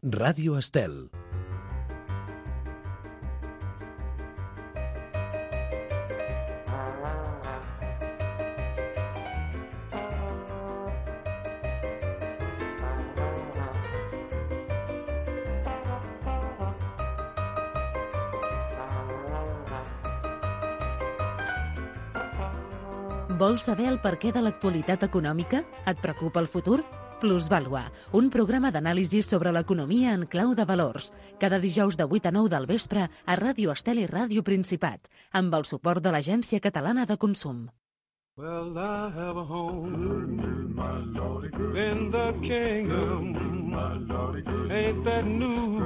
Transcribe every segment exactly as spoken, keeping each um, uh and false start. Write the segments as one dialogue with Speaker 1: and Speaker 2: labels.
Speaker 1: Ràdio Estel.
Speaker 2: Vols saber el perquè de l'actualitat econòmica? Et preocupa el futur? Plusvàlua, un programa d'anàlisi sobre l'economia en clau de valors. Cada dijous de vuit a nou del vespre a Ràdio Estel i Ràdio Principat, amb el suport de l'Agència Catalana de Consum.
Speaker 3: Well, I have a home in the kingdom. Ain't that new?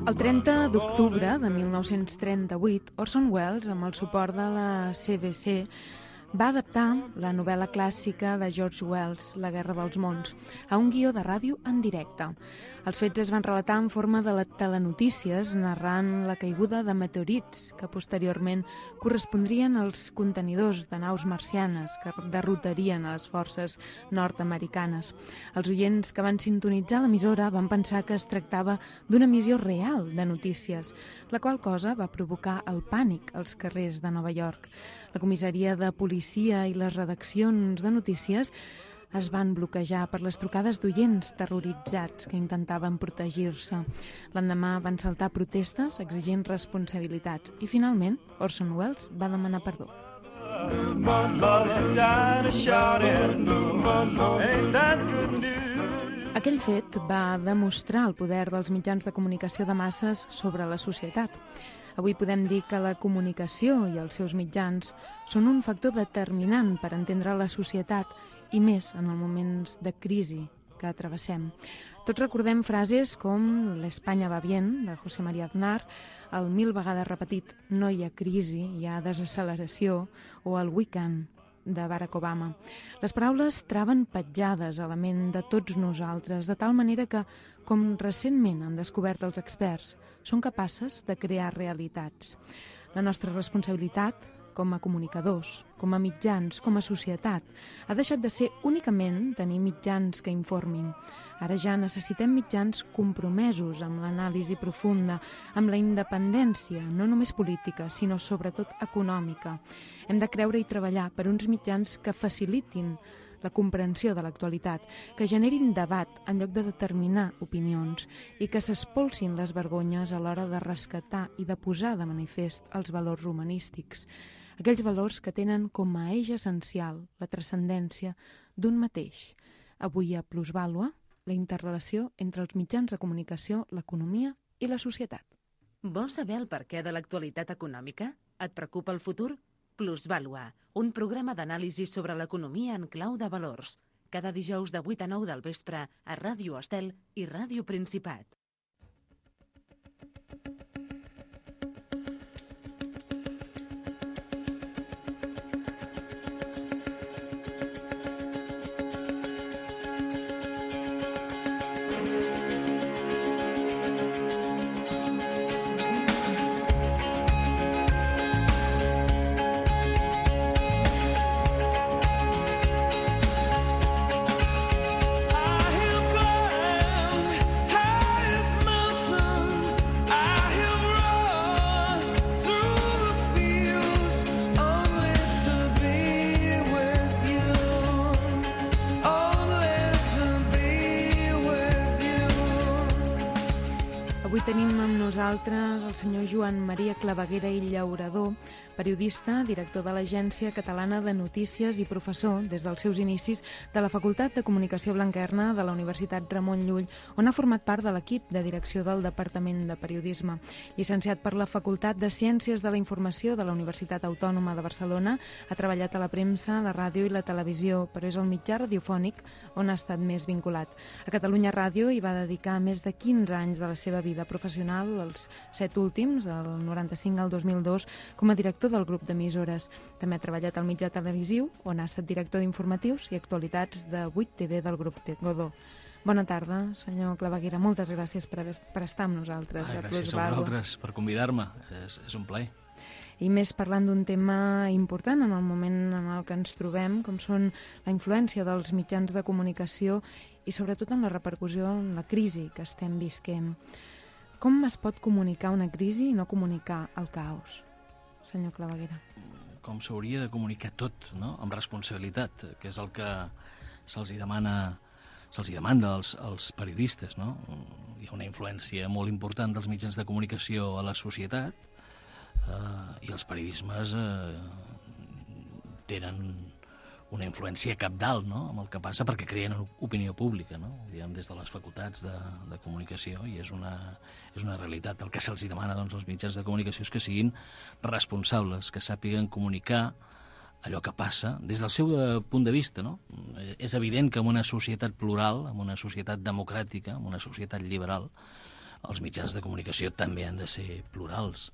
Speaker 4: El trenta d'octubre de mil nou-cents trenta-vuit, Orson Welles, amb el suport de la C B C, va adaptar la novel·la clàssica de George Wells, La guerra dels mons, a un guió de ràdio en directe. Els fets es van relatar en forma de telenotícies, narrant la caiguda de meteorits que posteriorment correspondrien als contenidors de naus marcianes que derrotarien a les forces nord-americanes. Els oients que van sintonitzar l'emissora van pensar que es tractava d'una emissió real de notícies, la qual cosa va provocar el pànic als carrers de Nova York. La comissaria de policia i les redaccions de notícies es van bloquejar per les trucades d'oients terroritzats que intentaven protegir-se. L'endemà van saltar protestes exigint responsabilitats i finalment Orson Welles va demanar perdó. Aquell fet va demostrar el poder dels mitjans de comunicació de masses sobre la societat. Avui podem dir que la comunicació i els seus mitjans són un factor determinant per entendre la societat i més en els moments de crisi que travessem. Tots recordem frases com l'Espanya va bien, de José María Aznar, el mil vegades repetit no hi ha crisi, hi ha desacceleració, o el we can, de Barack Obama. Les paraules traven petjades a la ment de tots nosaltres, de tal manera que, com recentment han descobert els experts, són capaces de crear realitats. La nostra responsabilitat, com a comunicadors, com a mitjans, com a societat, ha deixat de ser únicament tenir mitjans que informin. Ara ja necessitem mitjans compromesos amb l'anàlisi profunda, amb la independència, no només política, sinó sobretot econòmica. Hem de creure i treballar per uns mitjans que facilitin la comprensió de l'actualitat, que generin debat en lloc de determinar opinions i que s'espolsin les vergonyes a l'hora de rescatar i de posar de manifest els valors humanístics, aquells valors que tenen com a eix essencial la transcendència d'un mateix. Avui a Plusvàlua, la interrelació entre els mitjans de comunicació, l'economia i la societat.
Speaker 2: Vols saber el perquè de l'actualitat econòmica? Et preocupa el futur? Plusvàlua, un programa d'anàlisi sobre l'economia en clau de valors. Cada dijous de vuit a nou del vespre a Ràdio Estel i Ràdio Principat.
Speaker 4: Tenim amb nosaltres el senyor Joan Maria Claveguera i Llaurador, periodista, director de l'Agència Catalana de Notícies i professor, des dels seus inicis, de la Facultat de Comunicació Blanquerna de la Universitat Ramon Llull, on ha format part de l'equip de direcció del Departament de Periodisme. Llicenciat per la Facultat de Ciències de la Informació de la Universitat Autònoma de Barcelona, ha treballat a la premsa, la ràdio i la televisió, però és el mitjà radiofònic on ha estat més vinculat. A Catalunya Ràdio hi va dedicar més de quinze anys de la seva vida professional, els set últims, del noranta-cinc al dos mil dos, com a director del grup d'emissores. També ha treballat al mitjà televisiu, on ha estat director d'informatius i actualitats de vuit T V del grup Godó. Bona tarda, senyor Claveguera. Moltes gràcies per, per estar amb nosaltres.
Speaker 5: Ah, gràcies a vosaltres per convidar-me. És, és un plaer.
Speaker 4: I més parlant d'un tema important en el moment en el que ens trobem, com són la influència dels mitjans de comunicació i sobretot en la repercussió en la crisi que estem visquent. Com es pot comunicar una crisi i no comunicar el caos, senyor Claveguera?
Speaker 5: Com s'hauria de comunicar tot, no?, amb responsabilitat, que és el que se'ls demana, se'ls demanda als, als periodistes, no? Hi ha una influència molt important dels mitjans de comunicació a la societat eh, i els periodismes eh, tenen una influència cabdal, no?, amb el que passa, perquè creen opinió pública, no?, diguem, des de les facultats de, de comunicació, i és una, és una realitat. El que se'ls demana, doncs, als mitjans de comunicació és que siguin responsables, que sàpiguen comunicar allò que passa des del seu punt de vista, no? És evident que en una societat plural, en una societat democràtica, en una societat liberal, els mitjans de comunicació també han de ser plurals,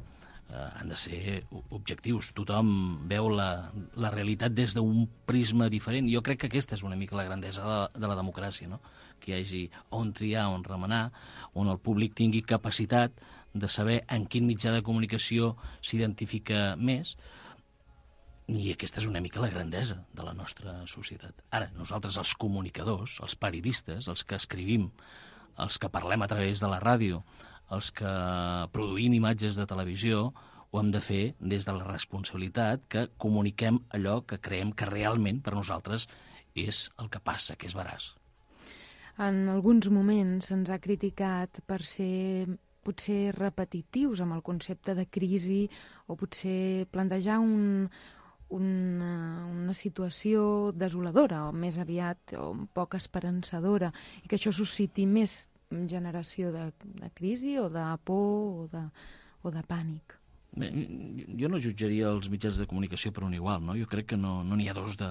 Speaker 5: eh, han de ser objectius. Tothom veu la, la realitat des d'un prisma diferent. Jo crec que aquesta és una mica la grandesa de, de la democràcia, no? Que hi hagi on triar, on remenar, on el públic tingui capacitat de saber en quin mitjà de comunicació s'identifica més. I aquesta és una mica la grandesa de la nostra societat. Ara, nosaltres, els comunicadors, els periodistes, els que escrivim, els que parlem a través de la ràdio, els que produïm imatges de televisió, ho hem de fer des de la responsabilitat que comuniquem allò que creiem que realment per nosaltres és el que passa, que és veraç.
Speaker 4: En alguns moments se'ns ha criticat per ser potser repetitius amb el concepte de crisi o potser plantejar un... Una, una situació desoladora, o més aviat, o poc esperançadora, i que això susciti més generació de, de crisi o de por o de, o de pànic.
Speaker 5: Bé, jo no jutjaria els mitjans de comunicació per un igual, no? Jo crec que no n'hi no ha dos de,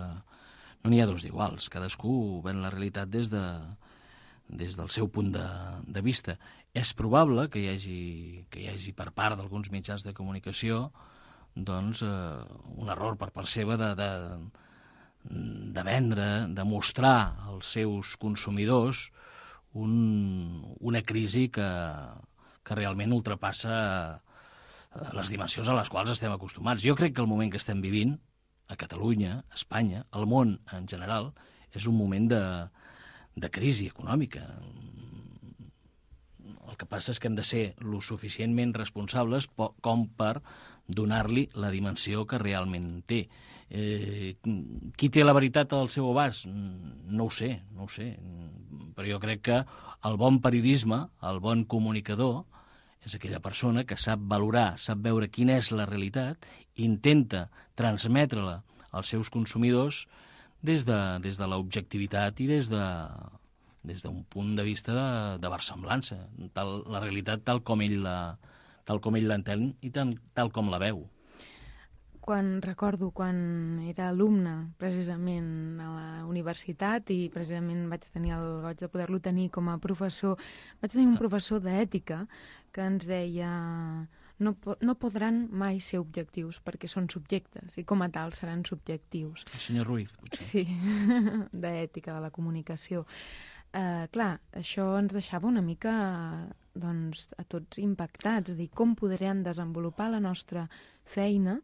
Speaker 5: no n'hi ha dos d'iguals. Cadascú ven la realitat des, de, des del seu punt de, de vista. És probable que hi hagi, que hi hagi per part d'alguns mitjans de comunicació doncs, eh, un error per part seva de, de, de vendre, de mostrar als seus consumidors un, una crisi que, que realment ultrapassa les dimensions a les quals estem acostumats. Jo crec que el moment que estem vivint, a Catalunya, a Espanya, al món en general, és un moment de, de crisi econòmica. El que passa és que hem de ser lo suficientment responsables com per donar-li la dimensió que realment té. Eh, qui té la veritat al seu abast? No ho sé, no ho sé. Però jo crec que el bon periodisme, el bon comunicador, és aquella persona que sap valorar, sap veure quina és la realitat, intenta transmetre-la als seus consumidors des de, des de l'objectivitat i des de des d'un punt de vista de, de versemblança, tal, la realitat tal com ell la, tal com ell l'entén i tal, tal com la veu.
Speaker 4: Quan recordo quan era alumne precisament a la universitat i precisament vaig tenir el goig de poder-lo tenir com a professor, vaig tenir un professor d'ètica que ens deia no, no podran mai ser objectius perquè són subjectes i com a tal seran subjectius.
Speaker 5: El senyor Ruiz, potser.
Speaker 4: Sí, d'ètica, de la comunicació. Uh, clar, això ens deixava una mica doncs, a tots impactats, és a dir, com podrem desenvolupar la nostra feina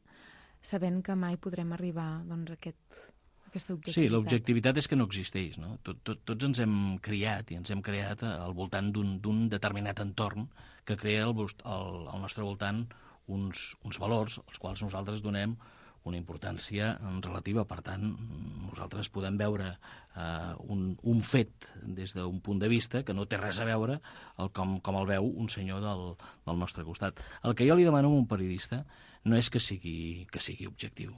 Speaker 4: sabent que mai podrem arribar doncs, a aquest, a aquesta objectivitat.
Speaker 5: Sí, l'objectivitat és que no existeix, no? Tot, tot, tots ens hem criat i ens hem creat al voltant d'un determinat entorn que crea al, al, al nostre voltant uns, uns valors als quals nosaltres donem una importància relativa. Per tant, nosaltres podem veure eh, un, un fet des d'un punt de vista que no té res a veure el, com, com el veu un senyor del, del nostre costat. El que jo li demano a un periodista no és que sigui, que sigui objectiu,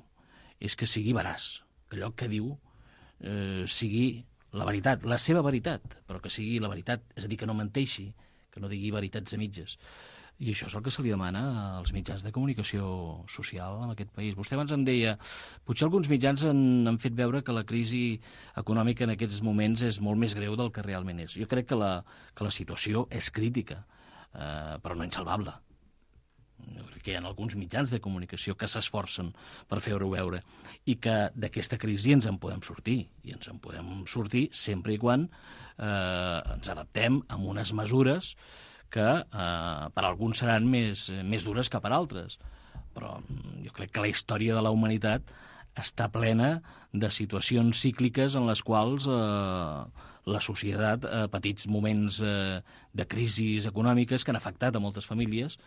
Speaker 5: és que sigui veraç, que allò que diu eh, sigui la veritat, la seva veritat, però que sigui la veritat, és a dir, que no menteixi, que no digui veritats a mitges. I això és el que se li demana als mitjans de comunicació social en aquest país. Vostè abans em deia, potser alguns mitjans han, han fet veure que la crisi econòmica en aquests moments és molt més greu del que realment és. Jo crec que la, que la situació és crítica, eh, però no insalvable. Jo crec que hi ha alguns mitjans de comunicació que s'esforcen per fer-ho veure i que d'aquesta crisi ens en podem sortir. I ens en podem sortir sempre i quan eh, ens adaptem a unes mesures que eh, per alguns seran més, més dures que per altres. Però jo crec que la història de la humanitat està plena de situacions cícliques en les quals eh, la societat, a eh, petits moments eh, de crisis econòmiques que han afectat a moltes famílies,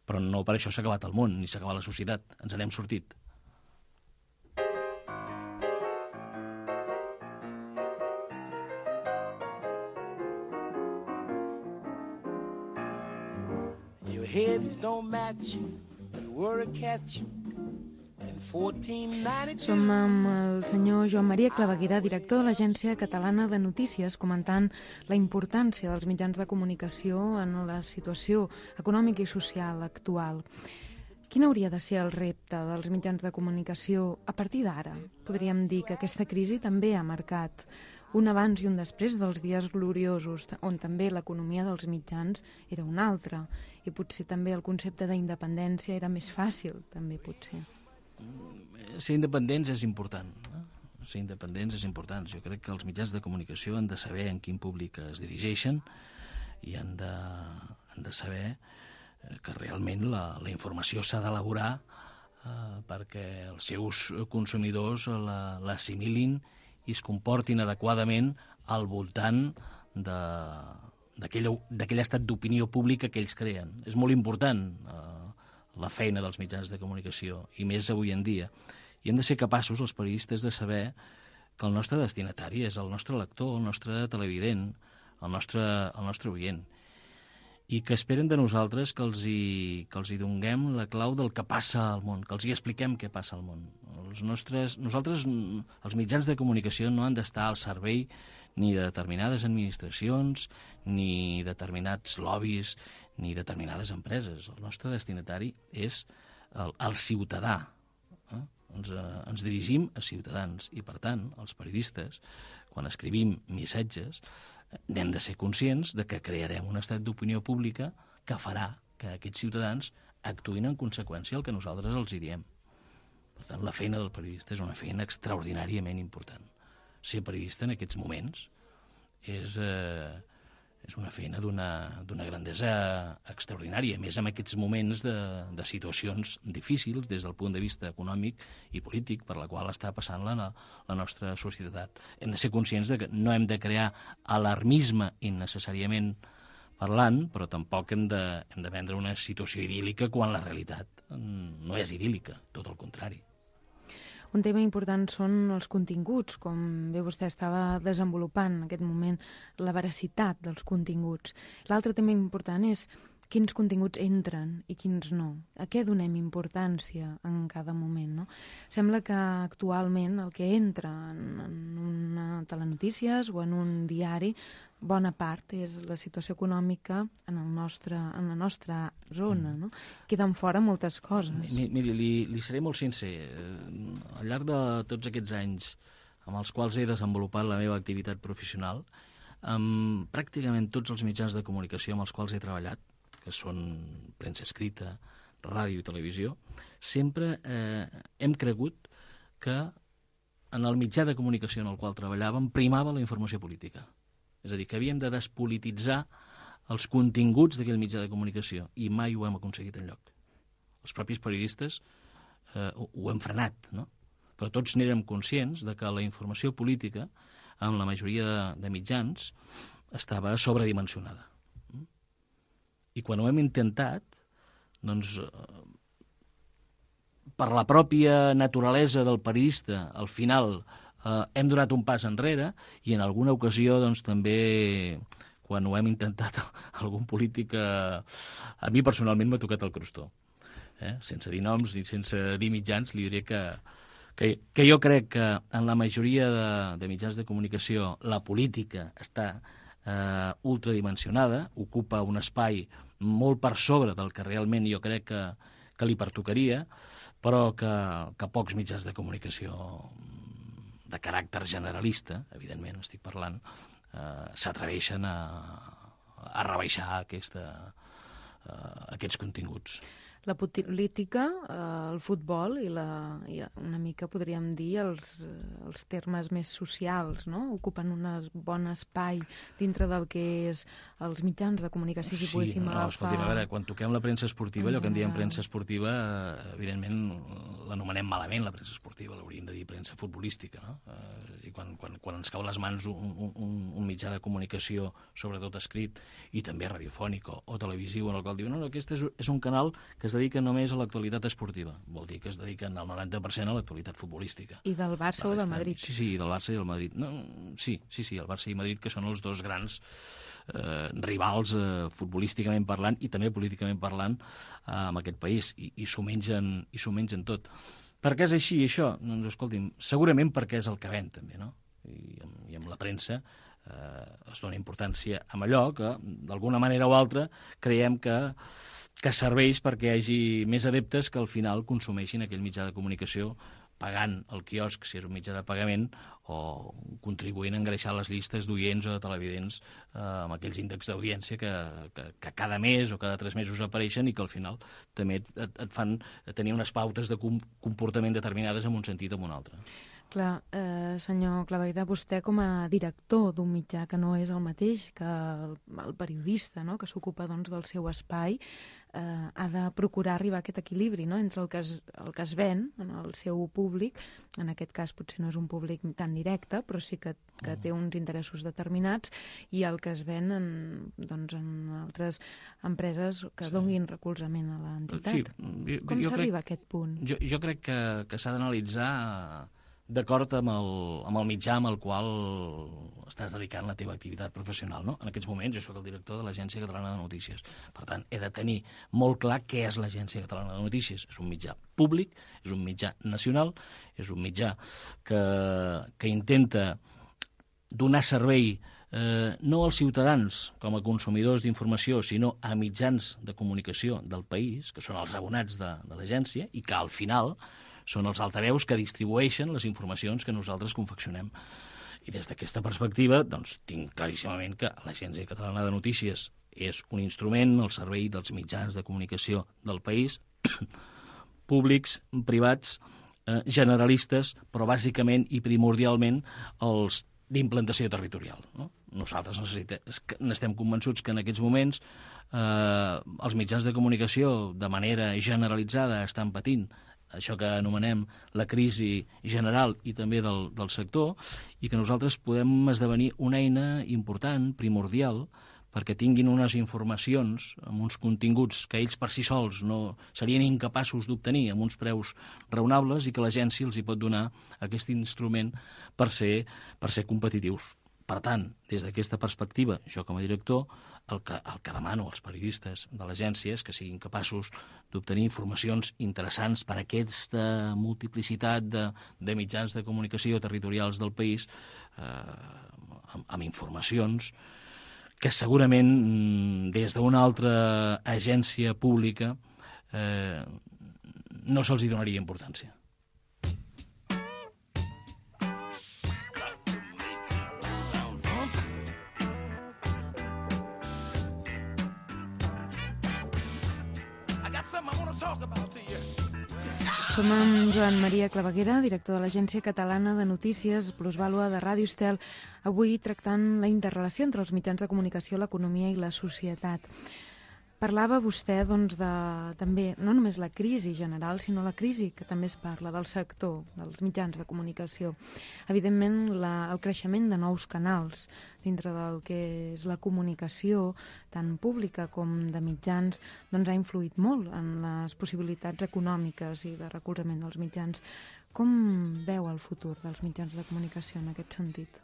Speaker 5: però no per això s'ha acabat el món, ni s'ha acabat la societat. Ens n'hem sortit.
Speaker 4: Your heads don't match, but were a catch. Som amb el senyor Joan Maria Claveguera, director de l'Agència Catalana de Notícies, comentant la importància dels mitjans de comunicació en la situació econòmica i social actual. Quin hauria de ser el repte dels mitjans de comunicació a partir d'ara? Podríem dir que aquesta crisi també ha marcat un abans i un després dels dies gloriosos, on també l'economia dels mitjans era una altra, i potser també el concepte d'independència era més fàcil, també potser.
Speaker 5: Ser independents és important. Eh? Ser independents és important. Jo crec que els mitjans de comunicació han de saber en quin públic es dirigeixen i han de, han de saber que realment la, la informació s'ha d'elaborar eh, perquè els seus consumidors l'assimilin i es comportin adequadament al voltant de, d'aquell estat d'opinió pública que ells creen. És molt important eh, la feina dels mitjans de comunicació, i més avui en dia. I hem de ser capaços, els periodistes, de saber que el nostre destinatari és el nostre lector, el nostre televident, el nostre, el nostre oient, i que esperen de nosaltres que els, hi, que els hi donguem la clau del que passa al món, que els hi expliquem què passa al món. Els nostres, nosaltres, els mitjans de comunicació, no han d'estar al servei ni de determinades administracions, ni determinats lobbies, ni determinades empreses. El nostre destinatari és el, el ciutadà. Eh? Ens, eh, ens dirigim a ciutadans i, per tant, els periodistes, quan escrivim missatges, n'hem de ser conscients de que crearem un estat d'opinió pública que farà que aquests ciutadans actuïn en conseqüència al que nosaltres els hi diem. Per tant, la feina del periodista és una feina extraordinàriament important. Ser periodista en aquests moments és, eh, és una feina d'una grandesa extraordinària, més en aquests moments de, de situacions difícils des del punt de vista econòmic i polític per la qual està passant la, la nostra societat. Hem de ser conscients de que no hem de crear alarmisme innecessàriament parlant, però tampoc hem de, hem de vendre una situació idíl·lica quan la realitat no és idíl·lica, tot el contrari.
Speaker 4: Un tema important són els continguts, com bé vostè estava desenvolupant en aquest moment, la veracitat dels continguts. L'altre tema important és quins continguts entren i quins no. A què donem importància en cada moment, no? Sembla que actualment el que entra en, en una telenotícies o en un diari, bona part és la situació econòmica en, el nostre, en la nostra zona, no? Queden fora moltes coses.
Speaker 5: Miri, li, li seré molt sincer. Al llarg de tots aquests anys amb els quals he desenvolupat la meva activitat professional, amb pràcticament tots els mitjans de comunicació amb els quals he treballat, que són premsa escrita, ràdio i televisió, sempre eh, hem cregut que en el mitjà de comunicació en el qual treballàvem primava la informació política. És a dir, que havíem de despolititzar els continguts d'aquell mitjà de comunicació, i mai ho hem aconseguit enlloc. Els propis periodistes eh, ho, ho hem frenat, no? Però tots n'érem conscients de que la informació política, en la majoria de, de mitjans, estava sobredimensionada. I quan ho hem intentat, doncs, eh, per la pròpia naturalesa del periodista, al final eh, hem donat un pas enrere, i en alguna ocasió doncs, també, quan ho hem intentat, algun polític, eh, a mi personalment m'ha tocat el crostó. Eh? Sense dir noms ni sense dir mitjans, li diré que, que, que jo crec que en la majoria de, de mitjans de comunicació la política està eh, ultradimensionada, ocupa un espai molt per sobre del que realment jo crec que, que li pertocaria, però que, que pocs mitjans de comunicació de caràcter generalista, evidentment estic parlant, eh, s'atreveixen a, a rebaixar aquesta, eh, aquests continguts.
Speaker 4: La política, eh, el futbol i, la, i una mica podríem dir els, els termes més socials, no? Ocupen un bon espai dintre del que és els mitjans de comunicació, si
Speaker 5: sí,
Speaker 4: poguéssim
Speaker 5: no,
Speaker 4: agafar...
Speaker 5: Escolti'm, a veure, quan toquem la premsa esportiva, allò que en diem premsa esportiva, evidentment l'anomenem malament, la premsa esportiva, l'hauríem de dir premsa futbolística, no? Eh, i quan, quan, quan ens cau a les mans un, un, un mitjà de comunicació, sobretot escrit, i també radiofònic o, o televisiu, en el qual diuen, no, no, aquest és, és un canal que es dedica només a l'actualitat esportiva. Vol dir que es dediquen al noranta per cent a l'actualitat futbolística.
Speaker 4: I del Barça o del Madrid.
Speaker 5: Sí, sí, del Barça i del Madrid. No, sí, sí, sí, el Barça i Madrid, que són els dos grans eh, rivals eh, futbolísticament parlant i també políticament parlant eh, en aquest país, i, i s'ho mengen, i s'ho mengen tot. Per què és així, això? Doncs, escolti'm, segurament perquè és el que ven, també, no? I, i amb la premsa eh, es dona importància a allò que, d'alguna manera o altra, creiem que que serveix perquè hi hagi més adeptes que al final consumeixin aquell mitjà de comunicació pagant el quiosc, si és un mitjà de pagament, o contribuint a engreixar les llistes d'oients o de televidents eh, amb aquells índexs d'audiència que, que, que cada mes o cada tres mesos apareixen i que al final també et, et, et fan tenir unes pautes de com, comportament determinades en un sentit o en un altre.
Speaker 4: Clar, eh, senyor Claveguera, vostè com a director d'un mitjà que no és el mateix que el, el periodista, no?, que s'ocupa doncs, del seu espai, eh, ha de procurar arribar a aquest equilibri, no?, entre el que, es, el que es ven en el seu públic, en aquest cas potser no és un públic tan directe, però sí que, que té uns interessos determinats, i el que es ven en, doncs, en altres empreses que sí. donin recolzament a l'entitat. Sí, com s'arriba a aquest punt?
Speaker 5: Jo, jo crec que, que s'ha d'analitzar d'acord amb, el, amb el mitjà amb el qual estàs dedicant la teva activitat professional, no? En aquests moments jo sóc el director de l'Agència Catalana de Notícies. Per tant, he de tenir molt clar què és l'Agència Catalana de Notícies. És un mitjà públic, és un mitjà nacional, és un mitjà que, que intenta donar servei eh, no als ciutadans com a consumidors d'informació, sinó a mitjans de comunicació del país, que són els abonats de, de l'agència, i que al final són els altaveus que distribueixen les informacions que nosaltres confeccionem. I des d'aquesta perspectiva, doncs, tinc claríssimament que l'Agència Catalana de Notícies és un instrument al servei dels mitjans de comunicació del país, públics, privats, eh, generalistes, però bàsicament i primordialment els d'implantació territorial, no? Nosaltres n'estem convençuts que en aquests moments eh, els mitjans de comunicació de manera generalitzada estan patint això que anomenem la crisi general i també del, del sector, i que nosaltres podem esdevenir una eina important, primordial, perquè tinguin unes informacions amb uns continguts que ells per si sols no serien incapaços d'obtenir amb uns preus raonables, i que l'agència els hi pot donar aquest instrument per ser, per ser competitius. Per tant, des d'aquesta perspectiva, jo com a director, el que, el que demano als periodistes de l'agència és que siguin capaços d'obtenir informacions interessants per a aquesta multiplicitat de, de mitjans de comunicació territorials del país, eh, amb, amb informacions que segurament des d'una altra agència pública eh, no se'ls hi donaria importància.
Speaker 4: Som amb Joan Maria Claveguera, director de l'Agència Catalana de Notícies, Plusvàlua de Ràdio Estel, avui tractant la interrelació entre els mitjans de comunicació, l'economia i la societat. Parlava vostè, doncs, de, també, no només la crisi general, sinó la crisi que també es parla del sector, dels mitjans de comunicació. Evidentment, la, el creixement de nous canals dintre del que és la comunicació, tant pública com de mitjans, doncs ha influït molt en les possibilitats econòmiques i de recolzament dels mitjans. Com veu el futur dels mitjans de comunicació en aquest sentit?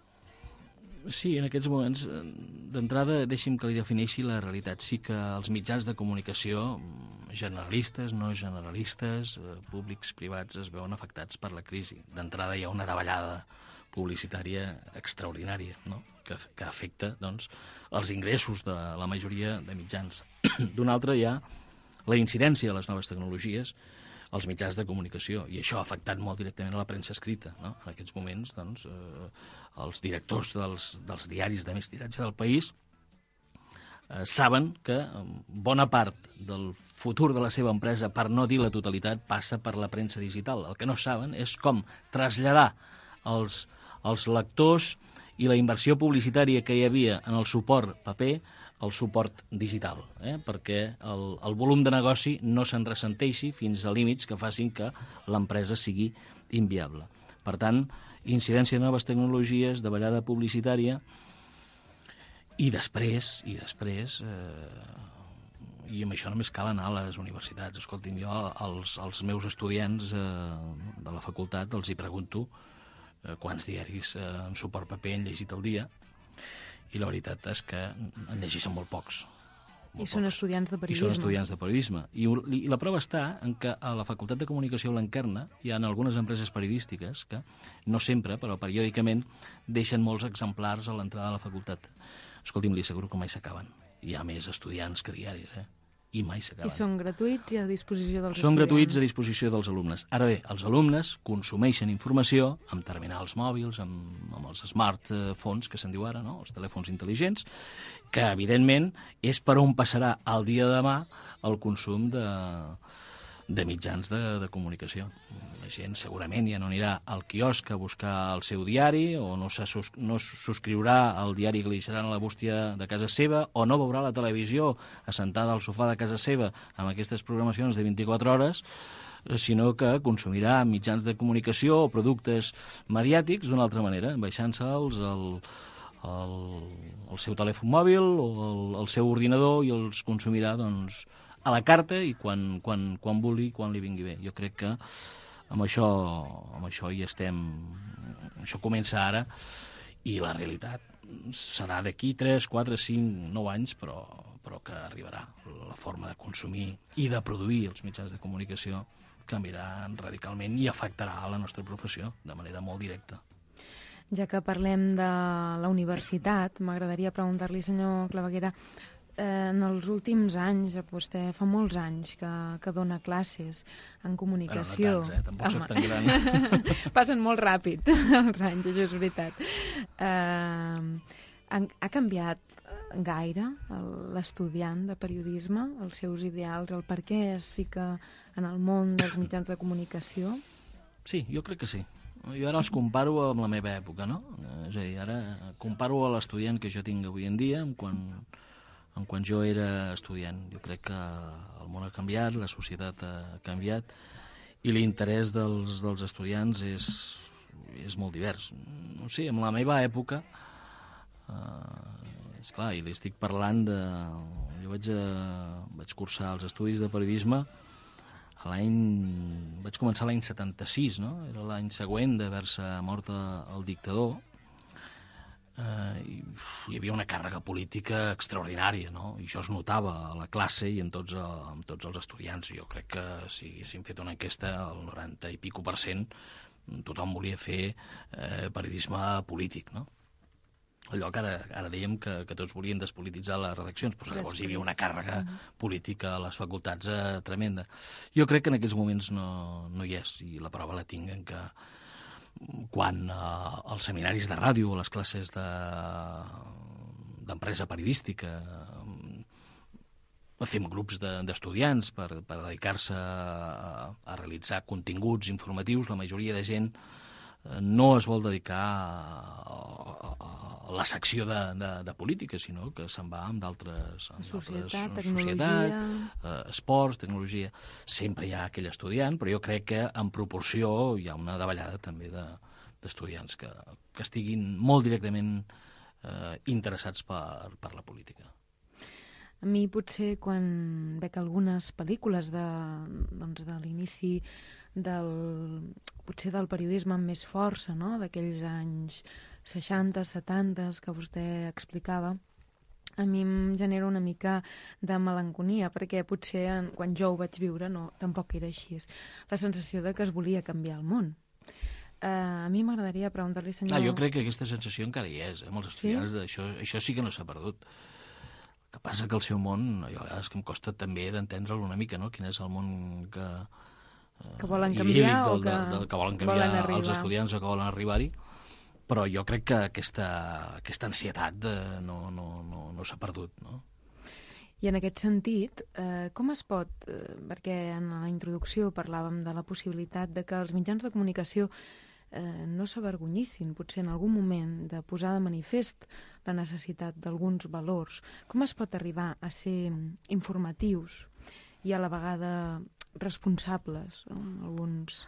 Speaker 5: Sí, en aquests moments, d'entrada, deixi'm que li defineixi la realitat. Sí que els mitjans de comunicació, generalistes, no generalistes, públics, privats, es veuen afectats per la crisi. D'entrada hi ha una davallada publicitària extraordinària, no?, que, que afecta, doncs, els ingressos de la majoria de mitjans. D'una altra hi ha la incidència de les noves tecnologies als mitjans de comunicació, i això ha afectat molt directament a la premsa escrita, no? En aquests moments, doncs, eh, els directors dels, dels diaris de més tiratge del país eh, saben que bona part del futur de la seva empresa, per no dir la totalitat, passa per la premsa digital. El que no saben és com traslladar els, els lectors i la inversió publicitària que hi havia en el suport paper al suport digital, eh? perquè el, el volum de negoci no se'n ressenteixi fins a límits que facin que l'empresa sigui inviable. Per tant, incidència de noves tecnologies, de ballada publicitària, i després, i després, eh, i amb això només cal anar a les universitats. Escolti'm, jo als, als meus estudiants eh, de la facultat els hi pregunto eh, quants diaris eh, en suport paper han llegit al dia, i la veritat és que en llegeixen molt pocs.
Speaker 4: Molt I són pocs. estudiants de periodisme.
Speaker 5: I són estudiants de periodisme. I, I la prova està en que a la Facultat de Comunicació Blanquerna hi ha algunes empreses periodístiques que, no sempre, però periòdicament, deixen molts exemplars a l'entrada de la facultat. Escolti'm, li asseguro que mai s'acaben. Hi ha més estudiants que diaris, eh? I mai s'acaben.
Speaker 4: I són gratuïts i a disposició dels
Speaker 5: són
Speaker 4: estudiants? Són
Speaker 5: gratuïts a disposició dels alumnes. Ara bé, els alumnes consumeixen informació amb terminals mòbils, amb, amb els smartphones, que se'n diu ara, no? Els telèfons intel·ligents, que, evidentment, és per on passarà el dia de demà el consum de, de mitjans de, de comunicació. La gent segurament ja no anirà al quiosc a buscar el seu diari, o no, se sus, no subscriurà al diari que li deixaran a la bústia de casa seva, o no veurà la televisió assentada al sofà de casa seva amb aquestes programacions de vint-i-quatre hores, sinó que consumirà mitjans de comunicació o productes mediàtics d'una altra manera, baixant-se'ls al, al, al seu telèfon mòbil o al, al seu ordinador, i els consumirà, doncs, a la carta i quan, quan, quan vulgui, quan li vingui bé. Jo crec que amb això, amb això hi estem... Això comença ara, i la realitat serà d'aquí tres, quatre, cinc, nou anys, però, però que arribarà. La forma de consumir i de produir els mitjans de comunicació canviarà radicalment i afectarà a la nostra professió de manera molt directa.
Speaker 4: Ja que parlem de la universitat, m'agradaria preguntar-li, senyor Claveguera, Eh, en els últims anys, vostè fa molts anys que, que dona classes en comunicació.
Speaker 5: Bueno, no tants, eh? Tampoc soc tan gran.
Speaker 4: Passen molt ràpid els anys, això és veritat. Eh, ha, ha canviat gaire l'estudiant de periodisme, els seus ideals, el per què es fica en el món dels mitjans de comunicació?
Speaker 5: Sí, jo crec que sí. Jo ara els comparo amb la meva època, no? És a dir, ara comparo a l'estudiant que jo tinc avui en dia amb quan... en quan jo era estudiant. Jo crec que el món ha canviat, la societat ha canviat, i l'interès dels, dels estudiants és, és molt divers. No sé, en la meva època, eh, esclar, i li estic parlant de... Jo vaig, a, vaig cursar els estudis de periodisme a l'any... Vaig començar l'any setanta-sis, no? Era l'any següent d'haver-se mort el dictador. Uh, hi, hi havia una càrrega política extraordinària, no? I això es notava a la classe i en tots, uh, en tots els estudiants. Jo crec que si haguéssim fet una enquesta, el noranta i pico per cent, tothom volia fer uh, periodisme polític, no? Allò que ara, ara dèiem que, que tots volien despolititzar les redaccions, però llavors hi havia una càrrega política a les facultats uh, tremenda. Jo crec que en aquells moments no, no hi és, i la prova la tinc en que quan eh, els seminaris de ràdio o les classes d'empresa de, periodística eh, fem grups d'estudiants de, per, per dedicar-se a, a realitzar continguts informatius, la majoria de gent eh, no es vol dedicar a, a, a la secció de, de, de política, sinó que se'n va amb d'altres...
Speaker 4: Societat,
Speaker 5: tecnologia... Societat, eh, esports, tecnologia... Sempre hi ha aquell estudiant, però jo crec que en proporció hi ha una davallada també d'estudiants de, que, que estiguin molt directament eh, interessats per, per la política.
Speaker 4: A mi potser quan veig algunes pel·lícules de, doncs, de l'inici del, potser del periodisme amb més força, no? D'aquells anys seixanta, setanta, que vostè explicava, a mi em genera una mica de melanconia, perquè potser quan jo ho vaig viure no, tampoc era així. La sensació de que es volia canviar el món. Uh, a mi m'agradaria preguntar-li, senyor...
Speaker 5: Ah, jo crec que aquesta sensació encara hi és, eh? Molts estudiants, sí? Això, això sí que no s'ha perdut. El que passa que el seu món, a vegades que em costa també d'entendre'l una mica, no? Quin és el món que... Uh,
Speaker 4: que volen canviar
Speaker 5: del,
Speaker 4: o que,
Speaker 5: del, del, que volen canviar volen els estudiants o que volen arribar-hi. Però jo crec que aquesta, aquesta ansietat de, no, no, no, no s'ha perdut, no?
Speaker 4: I en aquest sentit, eh, com es pot, eh, perquè en la introducció parlàvem de la possibilitat de que els mitjans de comunicació eh, no s'avergonyissin, potser en algun moment, de posar de manifest la necessitat d'alguns valors. Com es pot arribar a ser informatius i a la vegada responsables, no?, en alguns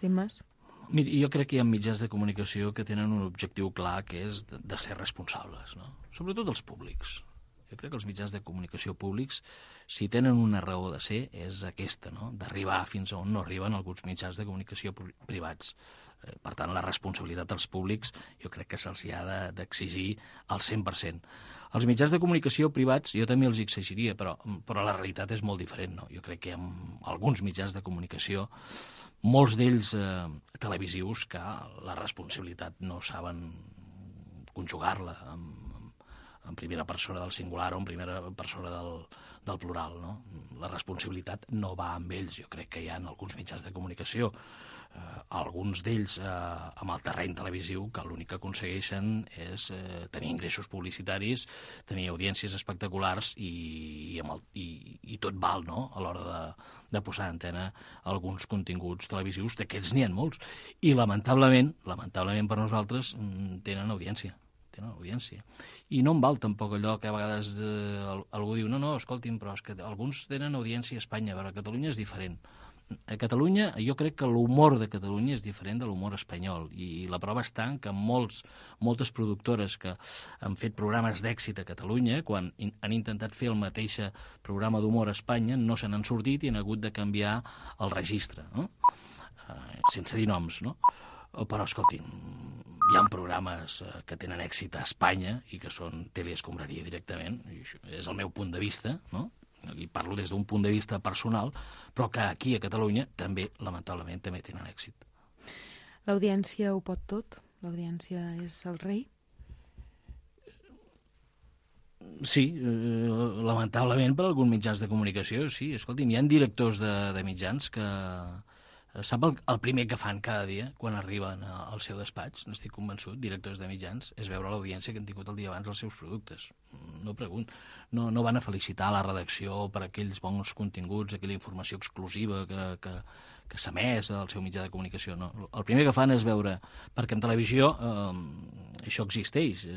Speaker 4: temes?
Speaker 5: Miri, jo crec que hi ha mitjans de comunicació que tenen un objectiu clar, que és de, de ser responsables, no? Sobretot els públics. Jo crec que els mitjans de comunicació públics, si tenen una raó de ser, és aquesta, no?, d'arribar fins on no arriben alguns mitjans de comunicació privats. Eh, per tant, la responsabilitat dels públics jo crec que se'ls ha de, d'exigir al cent per cent. Els mitjans de comunicació privats jo també els exigiria, però, però la realitat és molt diferent, no? Jo crec que hi ha alguns mitjans de comunicació, molts d'ells eh, televisius, que la responsabilitat no saben conjugar-la amb en primera persona del singular o en primera persona del, del plural, no? La responsabilitat no va amb ells. Jo crec que hi ha alguns mitjans de comunicació, eh, alguns d'ells eh, amb el terreny televisiu, que l'únic que aconsegueixen és eh, tenir ingressos publicitaris, tenir audiències espectaculars i, i, amb el, i, i tot val, no?, a l'hora de, de posar a antena alguns continguts televisius, d'aquests n'hi ha molts. I lamentablement, lamentablement per nosaltres, tenen audiència. No, audiència. I no em val tampoc allò que a vegades eh, algú diu, no, no, escolti'm, però és que alguns tenen audiència a Espanya, però a Catalunya és diferent. A Catalunya, jo crec que l'humor de Catalunya és diferent de l'humor espanyol, i la prova està en que molts, moltes productores que han fet programes d'èxit a Catalunya, quan in, han intentat fer el mateix programa d'humor a Espanya, no se n'han sortit i han hagut de canviar el registre, no? Eh, sense dir noms, no? Però, escolti'm, hi ha programes eh, que tenen èxit a Espanya i que són teleescombraria directament, i això és el meu punt de vista, no? I parlo des d'un punt de vista personal, però que aquí a Catalunya també, lamentablement, també tenen èxit.
Speaker 4: L'audiència ho pot tot? L'audiència és el rei?
Speaker 5: Sí, eh, lamentablement per alguns mitjans de comunicació, sí. Escolti'm, hi ha directors de, de mitjans que sap el, el primer que fan cada dia quan arriben a, al seu despatx, n'estic convençut, directors de mitjans, és veure l'audiència que han tingut el dia abans els seus productes. No pregunto. No, no van a felicitar la redacció per aquells bons continguts, aquella informació exclusiva que, que, que s'ha emès al seu mitjà de comunicació. No. El primer que fan és veure, perquè en televisió eh, això existeix.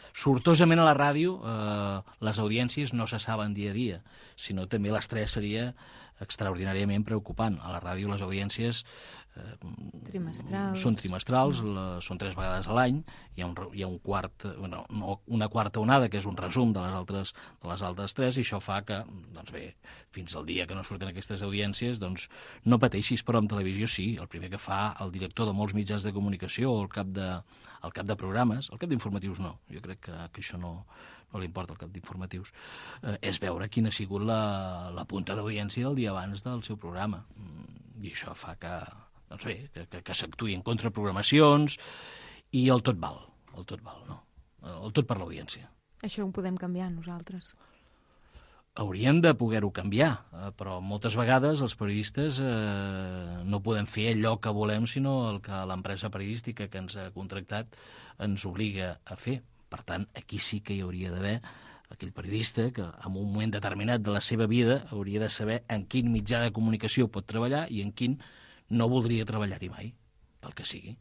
Speaker 5: Sortosament a la ràdio eh, les audiències no se saben dia a dia, sinó també l'estrès seria extraordinàriament preocupant. A la ràdio les audiències eh,
Speaker 4: trimestrals.
Speaker 5: són trimestrals, la, són tres vegades a l'any, hi ha, un, hi ha un quart, bueno, no, una quarta onada, que és un resum de les altres, de les altres tres, i això fa que, doncs bé, fins al dia que no surten aquestes audiències, doncs no pateixis, però en televisió sí. El primer que fa el director de molts mitjans de comunicació, o el cap de, el cap de programes, el cap d'informatius no, jo crec que, que això no, no li importa el cap d'informatius, eh, és veure quina ha sigut la, la punta d'audiència del dia abans del seu programa. I això fa que, doncs bé, que, que, que s'actuï en contraprogramacions, i el tot val, el tot val, no? El tot per l'audiència.
Speaker 4: Això ho podem canviar nosaltres.
Speaker 5: Hauríem de poder-ho canviar, eh, però moltes vegades els periodistes eh, no podem fer allò que volem, sinó el que l'empresa periodística que ens ha contractat ens obliga a fer. Per tant, aquí sí que hi hauria d'haver aquell periodista que en un moment determinat de la seva vida hauria de saber en quin mitjà de comunicació pot treballar i en quin no voldria treballar-hi mai, pel que sigui.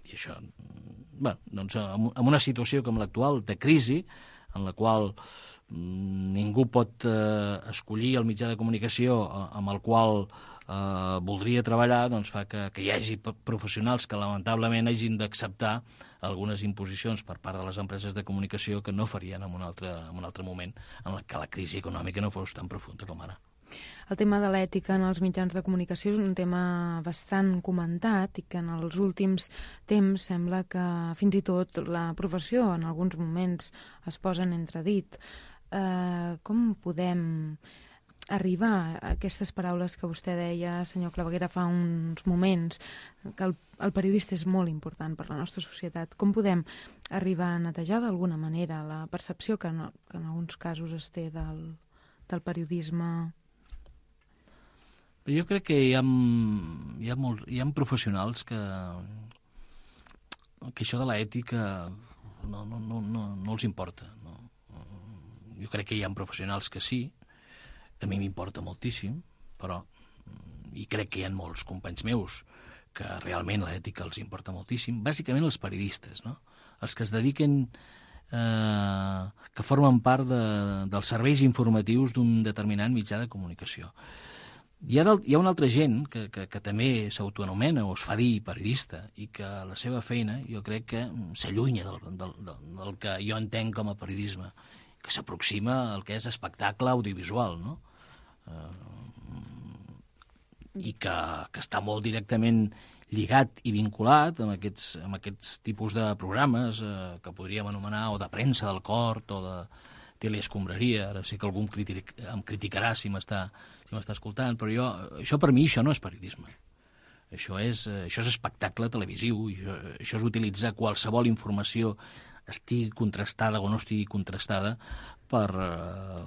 Speaker 5: I això, bé, doncs, en una situació com l'actual de crisi, en la qual ningú pot eh, escollir el mitjà de comunicació amb el qual eh, voldria treballar, doncs fa que, que hi hagi professionals que lamentablement hagin d'acceptar algunes imposicions per part de les empreses de comunicació que no farien en un altre, en un altre moment en la que la crisi econòmica no fos tan profunda com ara.
Speaker 4: El tema de l'ètica en els mitjans de comunicació és un tema bastant comentat i que en els últims temps sembla que fins i tot la professió en alguns moments es posa en entredit. Eh, com podem arribar a aquestes paraules que vostè deia, senyor Claveguera, fa uns moments, que el, el periodista és molt important per la nostra societat? Com podem arribar a netejar d'alguna manera la percepció que, no, que en alguns casos es té del, del periodisme?
Speaker 5: Jo crec que hi ha, hi ha, molt, hi ha professionals que, que això de l'ètica no, no, no, no, no els importa. No? jo crec que hi ha professionals que sí, a mi m'importa moltíssim, però, i crec que hi ha molts companys meus que realment l'ètica els importa moltíssim, bàsicament els periodistes, no? Els que es dediquen, eh, que formen part de, dels serveis informatius d'un determinat mitjà de comunicació. Hi ha, del, hi ha una altra gent que, que, que també s'autoanomena o es fa dir periodista i que la seva feina jo crec que s'allunya del, del, del, del que jo entenc com a periodisme, que s'aproxima al que és espectacle audiovisual, no? Eh, i que, que està molt directament lligat i vinculat amb aquests, amb aquests tipus de programes eh, que podríem anomenar o de premsa del cort o de teleescombraria. Ara sé que algú em, critic, em criticarà si m'està si m'està escoltant, però jo, això per mi això no és periodisme. Això és, això és espectacle televisiu, i això, això és utilitzar qualsevol informació, estigui contrastada o no estigui contrastada, per, eh,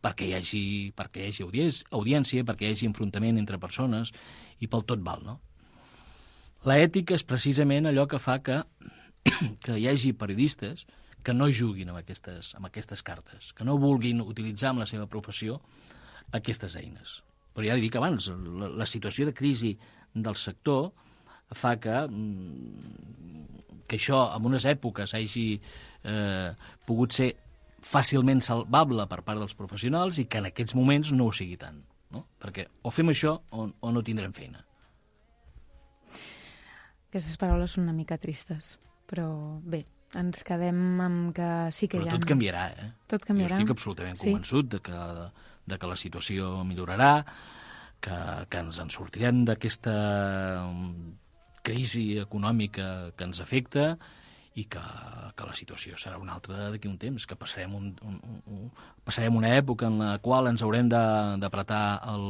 Speaker 5: perquè hi hagi, perquè hi hagi audiència, audiència, perquè hi hagi enfrontament entre persones, i pel tot val, no? L'ètica és precisament allò que fa que, que hi hagi periodistes que no juguin amb aquestes, amb aquestes cartes, que no vulguin utilitzar amb la seva professió aquestes eines. Però ja li dic abans, la, la situació de crisi del sector fa que, que això en unes èpoques hagi eh, pogut ser fàcilment salvable per part dels professionals i que en aquests moments no ho sigui tant, no? Perquè o fem això o, o no tindrem feina.
Speaker 4: Aquestes paraules són una mica tristes, però bé, ens quedem amb que sí que
Speaker 5: però
Speaker 4: hi ha...
Speaker 5: tot canviarà, eh?
Speaker 4: Tot canviarà.
Speaker 5: Jo estic absolutament
Speaker 4: sí.
Speaker 5: convençut de que, de, de que la situació millorarà, que, que ens en sortirem d'aquesta crisi econòmica que ens afecta i que, que la situació serà una altra d'aquí un temps, que passarem, un, un, un, passarem una època en la qual ens haurem d'apretar el,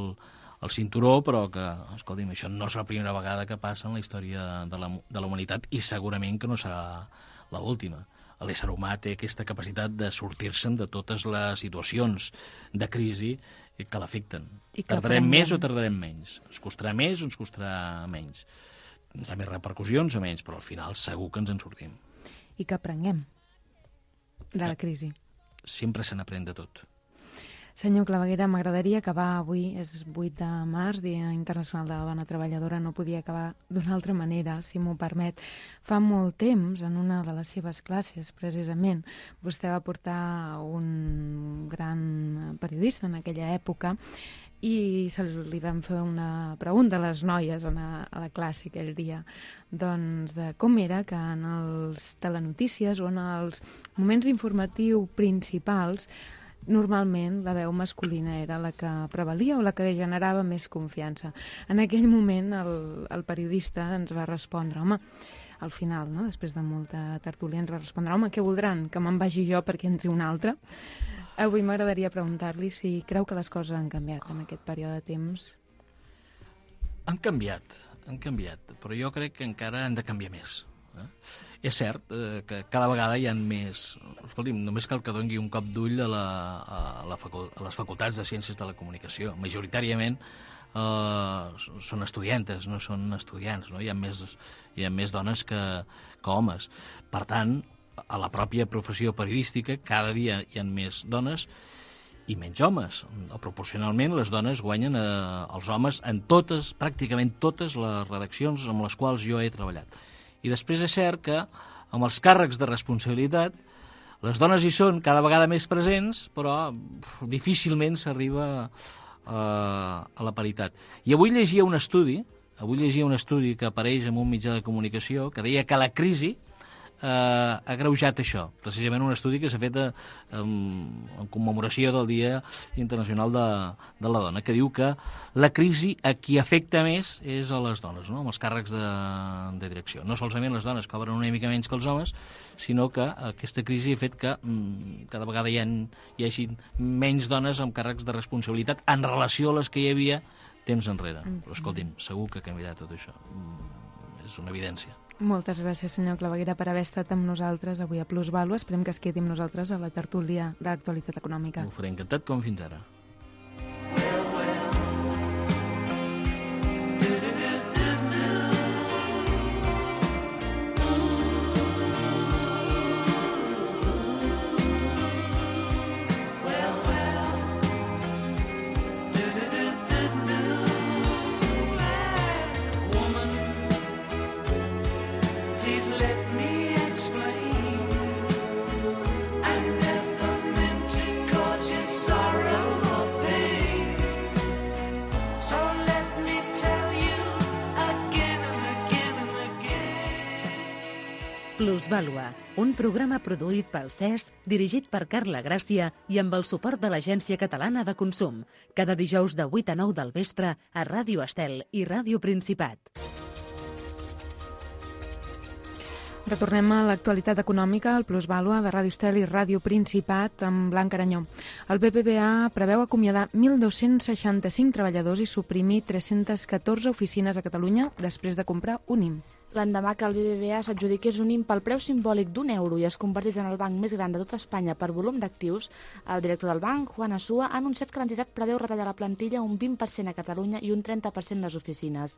Speaker 5: el cinturó, però que, escolti'm, això no és la primera vegada que passa en la història de la, de la humanitat i segurament que no serà l'última. L'ésser humà té aquesta capacitat de sortir-se'n de totes les situacions de crisi que l'afecten. Tardarem més o tardarem menys. Ens costarà més o ens costarà menys. Tindrà més repercussions o menys, però al final segur que ens en sortim.
Speaker 4: I que aprenguem de la crisi.
Speaker 5: Sempre se n'aprèn de tot.
Speaker 4: Senyor Claveguera, m'agradaria acabar avui, és vuit de març, Dia Internacional de la Dona Treballadora, no podia acabar d'una altra manera, si m'ho permet. Fa molt temps, en una de les seves classes, precisament, vostè va portar un gran periodista en aquella època i se li vam fer una pregunta a les noies a la, a la classe aquell dia, doncs de com era que en els telenotícies o en els moments informatiu principals normalment la veu masculina era la que prevalia o la que generava més confiança. En aquell moment el, el periodista ens va respondre, home, al final, no? Després de molta tertúlia, ens va respondre, home, què voldran? Que me'n vagi jo perquè entri un altre? Avui m'agradaria preguntar-li si creu que les coses han canviat en aquest període de temps.
Speaker 5: Han canviat, han canviat, però jo crec que encara han de canviar més. Eh? És cert eh, que cada vegada hi ha més... Escolti'm, només cal que doni un cop d'ull a, la, a, la facu... a les facultats de Ciències de la Comunicació. Majoritàriament eh, són estudiantes, no són estudiants, no? Hi ha més, hi ha més dones que, que homes. Per tant, a la pròpia professió periodística cada dia hi ha més dones i menys homes. O proporcionalment les dones guanyen eh, els homes en totes, pràcticament totes les redaccions amb les quals jo he treballat. I després és cert que amb els càrrecs de responsabilitat les dones hi són cada vegada més presents, però difícilment s'arriba a, a la paritat. I avui llegia un estudi, avui llegia un estudi que apareix en un mitjà de comunicació que deia que la crisi eh, ha agreujat això, precisament un estudi que s'ha fet a, en, en commemoració del Dia Internacional de, de la Dona, que diu que la crisi a qui afecta més és a les dones, no? Amb els càrrecs de, de direcció. No solament les dones cobren una mica menys que els homes, sinó que aquesta crisi ha fet que mm, cada vegada hi, ha, hi hagi menys dones amb càrrecs de responsabilitat en relació a les que hi havia temps enrere. Mm. Però escolti'm, segur que canviarà tot això. Mm, és una evidència.
Speaker 4: Moltes gràcies, senyor Claveguera, per haver estat amb nosaltres avui a Plusvàlua. Esperem que es quedi amb nosaltres a la tertúlia de l'actualitat econòmica.
Speaker 5: Ho faré encantat, com fins ara.
Speaker 2: Plusvàlua, un programa produït pel C E S, dirigit per Carla Gràcia i amb el suport de l'Agència Catalana de Consum, cada dijous de vuit a nou del vespre a Ràdio Estel i Ràdio Principat.
Speaker 4: Retornem a l'actualitat econòmica, al Plusvàlua de Ràdio Estel i Ràdio Principat amb Blanca Aranyó. El B B V A preveu acomiadar mil dos-cents seixanta-cinc treballadors i suprimir tres-centes catorze oficines a Catalunya després de comprar un I M.
Speaker 1: L'endemà que el B B V A s'adjudiqués un I M pel preu simbòlic d'un euro i es convertís en el banc més gran de tota Espanya per volum d'actius, el director del banc, Juan Asúa, ha anunciat que l'entitat preveu retallar la plantilla un vint per cent a Catalunya i un trenta per cent les oficines.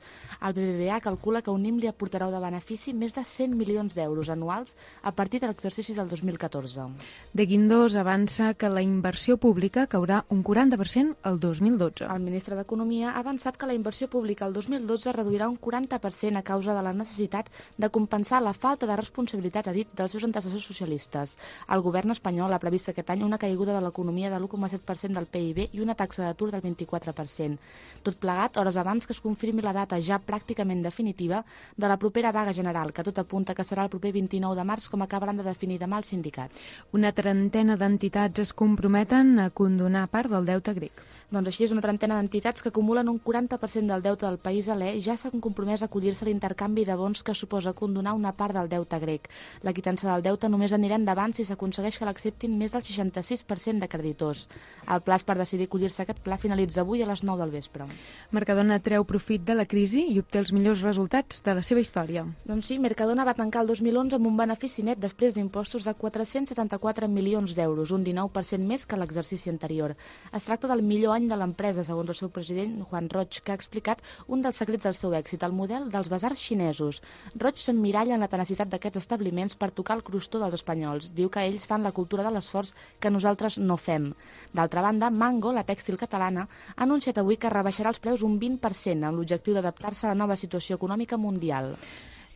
Speaker 1: El B B V A calcula que un I M li aportarà de benefici més de cent milions d'euros anuals a partir de l'exercici del dos mil catorze.
Speaker 4: De Guindos avança que la inversió pública caurà un quaranta per cent el dos mil dotze.
Speaker 1: El ministre d'Economia ha avançat que la inversió pública el dos mil dotze reduirà un quaranta per cent a causa de la necessitat de compensar la falta de responsabilitat, ha dit, dels seus antecessors socialistes. El govern espanyol ha previst aquest any una caiguda de l'economia de l'u coma set per cent del P I B i una taxa d'atur del vint-i-quatre per cent. Tot plegat, hores abans que es confirmi la data ja pràcticament definitiva de la propera vaga general, que tot apunta que serà el proper vint-i-nou de març, com acabaran de definir demà els sindicats.
Speaker 4: Una trentena d'entitats es comprometen a condonar part del deute grec.
Speaker 1: Doncs així és, una trentena d'entitats que acumulen un quaranta per cent del deute del país alè ja s'han compromès a acollir-se a l'intercanvi de bons que suposa condonar una part del deute grec. La quitança del deute només anirà endavant si s'aconsegueix que l'acceptin més del seixanta-sis per cent de creditors. El pla per decidir acollir-se a aquest pla finalitza avui a les nou del vespre.
Speaker 4: Mercadona treu profit de la crisi i obté els millors resultats de la seva història.
Speaker 1: Doncs sí, Mercadona va tancar el dos mil onze amb un benefici net després d'impostos de quatre-cents setanta-quatre milions d'euros, un dinou per cent més que l'exercici anterior. Es tracta del millor any de l'empresa, segons el seu president, Juan Roig, que ha explicat un dels secrets del seu èxit, el model dels basars xinesos. Roig s'emmiralla en la tenacitat d'aquests establiments per tocar el crostó dels espanyols. Diu que ells fan la cultura de l'esforç que nosaltres no fem. D'altra banda, Mango, la tèxtil catalana, ha anunciat avui que rebaixarà els preus un vint per cent amb l'objectiu d'adaptar-se a la nova situació econòmica mundial.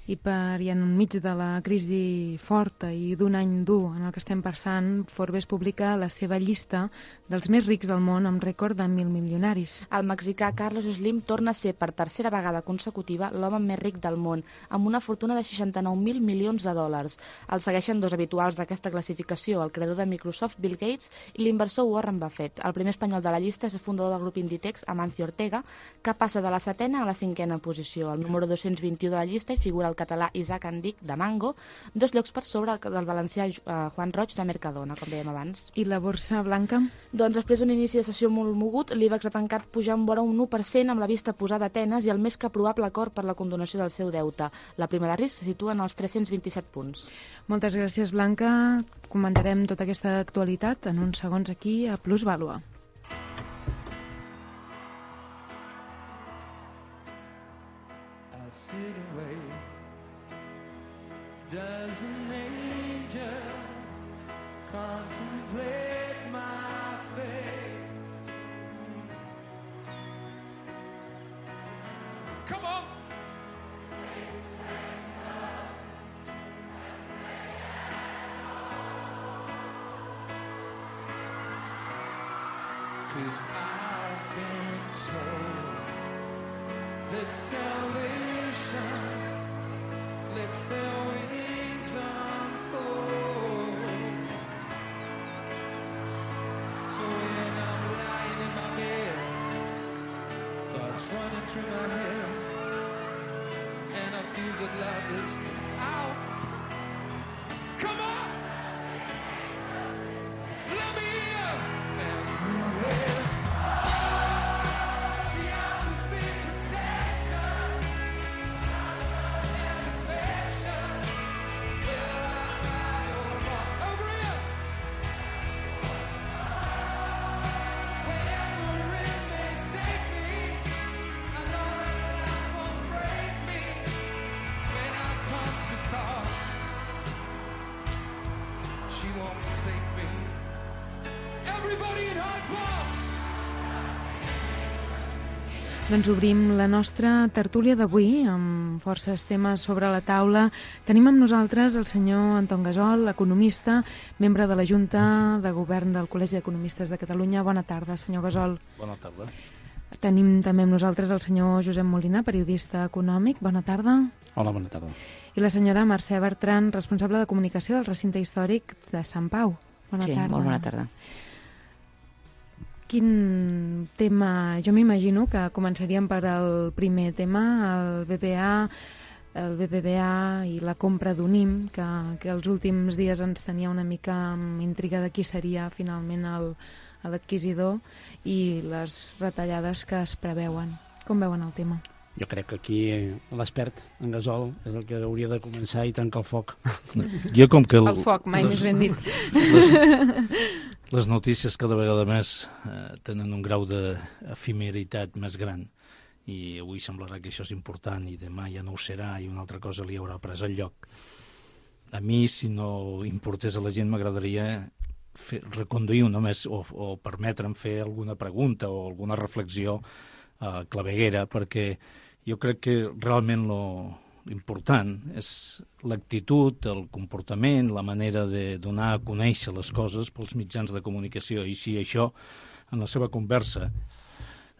Speaker 4: I per i enmig de la crisi forta i d'un any dur en el que estem passant, Forbes publica la seva llista dels més rics del món amb rècord de mil milionaris.
Speaker 1: El mexicà Carlos Slim torna a ser per tercera vegada consecutiva l'home més ric del món, amb una fortuna de seixanta-nou mil milions de dòlars. El segueixen dos habituals d'aquesta classificació, el creador de Microsoft, Bill Gates, i l'inversor Warren Buffett. El primer espanyol de la llista és el fundador del grup Inditex, Amancio Ortega, que passa de la setena a la cinquena posició. El número dos-cents vint-i-u de la llista hi figura el català Isaac Andic, de Mango, dos llocs per sobre del valencià Juan Roig, de Mercadona, com dèiem abans.
Speaker 4: I la borsa, Blanca?
Speaker 1: Doncs després d'un inici de sessió molt mogut, l'IBEX ha tancat pujant vora un u per cent amb la vista posada a Atenes i el més que probable acord per la condonació del seu deute. La prima de risc se situa en els tres-cents vint-i-set punts.
Speaker 4: Moltes gràcies, Blanca. Comentarem tota aquesta actualitat en uns segons aquí a Plusvàlua.
Speaker 6: Does an angel contemplate my fate? Come on! Cause I've been told that salvation lets their wings unfold. So when I'm lying in my bed, thoughts running through my head, and I feel that love is out. Come on! Let me in! Everywhere. See, I was being protection.
Speaker 4: Doncs obrim la nostra tertúlia d'avui amb forces temes sobre la taula. Tenim amb nosaltres el senyor Anton Gasol, economista, membre de la Junta de Govern del Col·legi d'Economistes de Catalunya. Bona tarda, senyor Gasol.
Speaker 7: Bona tarda.
Speaker 4: Tenim també amb nosaltres el senyor Josep Molina, periodista econòmic. Bona tarda.
Speaker 7: Hola, bona tarda.
Speaker 4: I la senyora Mercè Bertran, responsable de comunicació del recinte històric de Sant Pau. Bona
Speaker 8: sí,
Speaker 4: tarda.
Speaker 8: molt bona tarda.
Speaker 4: Quin tema... Jo m'imagino que començaríem per el primer tema, el B B A, el B B V A i la compra d'Unim, que, que els últims dies ens tenia una mica amb intriga de qui seria finalment el, l'adquisidor i les retallades que es preveuen. Com veuen el tema?
Speaker 7: Jo crec que aquí l'expert en Gasol és el que hauria de començar i tancar el foc.
Speaker 5: Jo com que... El,
Speaker 4: el foc, mai les, més ben dit.
Speaker 5: Les, les notícies cada vegada més eh, tenen un grau d'efimeritat més gran i avui semblarà que això és important i demà ja no ho serà i una altra cosa li haurà pres el lloc. A mi, si no importés a la gent, m'agradaria fer, reconduir només o, o permetre'm fer alguna pregunta o alguna reflexió eh, claveguera, perquè jo crec que realment lo important és l'actitud, el comportament, la manera de donar a conèixer les coses pels mitjans de comunicació. I si això, en la seva conversa,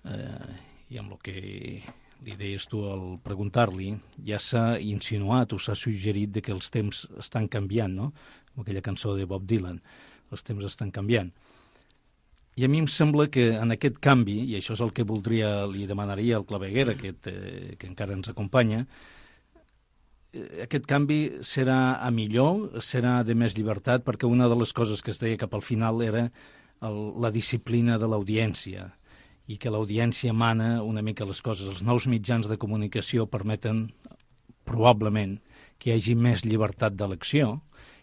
Speaker 5: eh, i amb el que li deies tu al preguntar-li, ja s'ha insinuat o s'ha suggerit de que els temps estan canviant, no? Com aquella cançó de Bob Dylan, els temps estan canviant. I a mi em sembla que en aquest canvi, i això és el que voldria, li demanaria al claveguera, aquest, eh, que encara ens acompanya, eh, aquest canvi serà a millor, serà de més llibertat, perquè una de les coses que es deia cap al final era el, la disciplina de l'audiència, i que l'audiència mana una mica les coses. Els nous mitjans de comunicació permeten, probablement, que hi hagi més llibertat d'elecció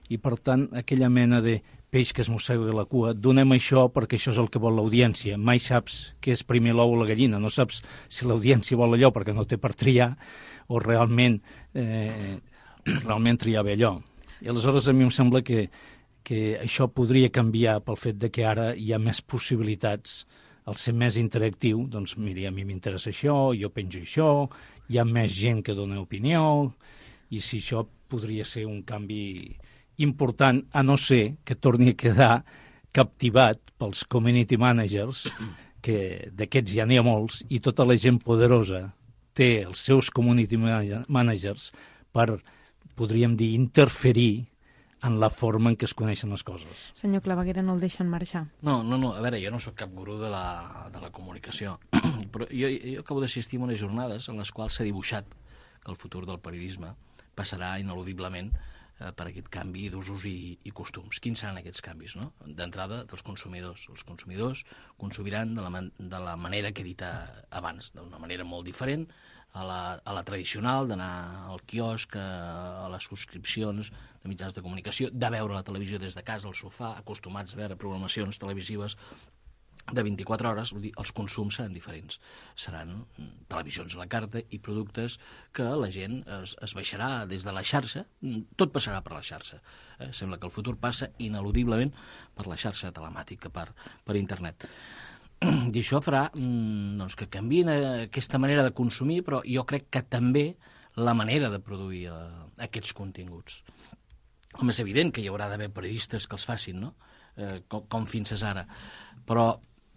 Speaker 5: i, per tant, aquella mena de peix que es mossega la cua, donem això perquè això és el que vol l'audiència. Mai saps què és primer l'ou o la gallina, no saps si l'audiència vol allò perquè no té per triar o realment, eh, realment triar bé allò. I aleshores a mi em sembla que, que això podria canviar pel fet de que ara hi ha més possibilitats. Al ser més interactiu, doncs, mira, a mi m'interessa això, jo penjo això, hi ha més gent que dona opinió, i si això podria ser un canvi important, a no ser que torni a quedar captivat pels community managers, que d'aquests ja n'hi ha molts, i tota la gent poderosa té els seus community managers per, podríem dir, interferir en la forma en què es coneixen les coses.
Speaker 4: Senyor Claveguera, no el deixen marxar.
Speaker 5: No, no, no, a veure, jo no sóc cap gurú de la, de la comunicació, però jo, jo acabo d'assistir a unes jornades en les quals s'ha dibuixat que el futur del periodisme passarà ineludiblement eh, per aquest canvi d'usos i, i costums. Quins seran aquests canvis, no? D'entrada, dels consumidors. Els consumidors consumiran de la, man de la manera que he dit abans, d'una manera molt diferent, a la, a la tradicional, d'anar al quiosc, a, a les subscripcions de mitjans de comunicació, de veure la televisió des de casa, al sofà, acostumats a veure programacions televisives de vint-i-quatre hores, vull dir, els consums seran diferents. Seran televisions a la carta i productes que la gent es, es baixarà des de la xarxa, tot passarà per la xarxa. Eh? Sembla que el futur passa ineludiblement per la xarxa telemàtica, per, per internet. I això farà doncs, que canviïn aquesta manera de consumir, però jo crec que també la manera de produir eh, aquests continguts. Home, és evident que hi haurà d'haver periodistes que els facin, no? Eh, com, com fins ara. Però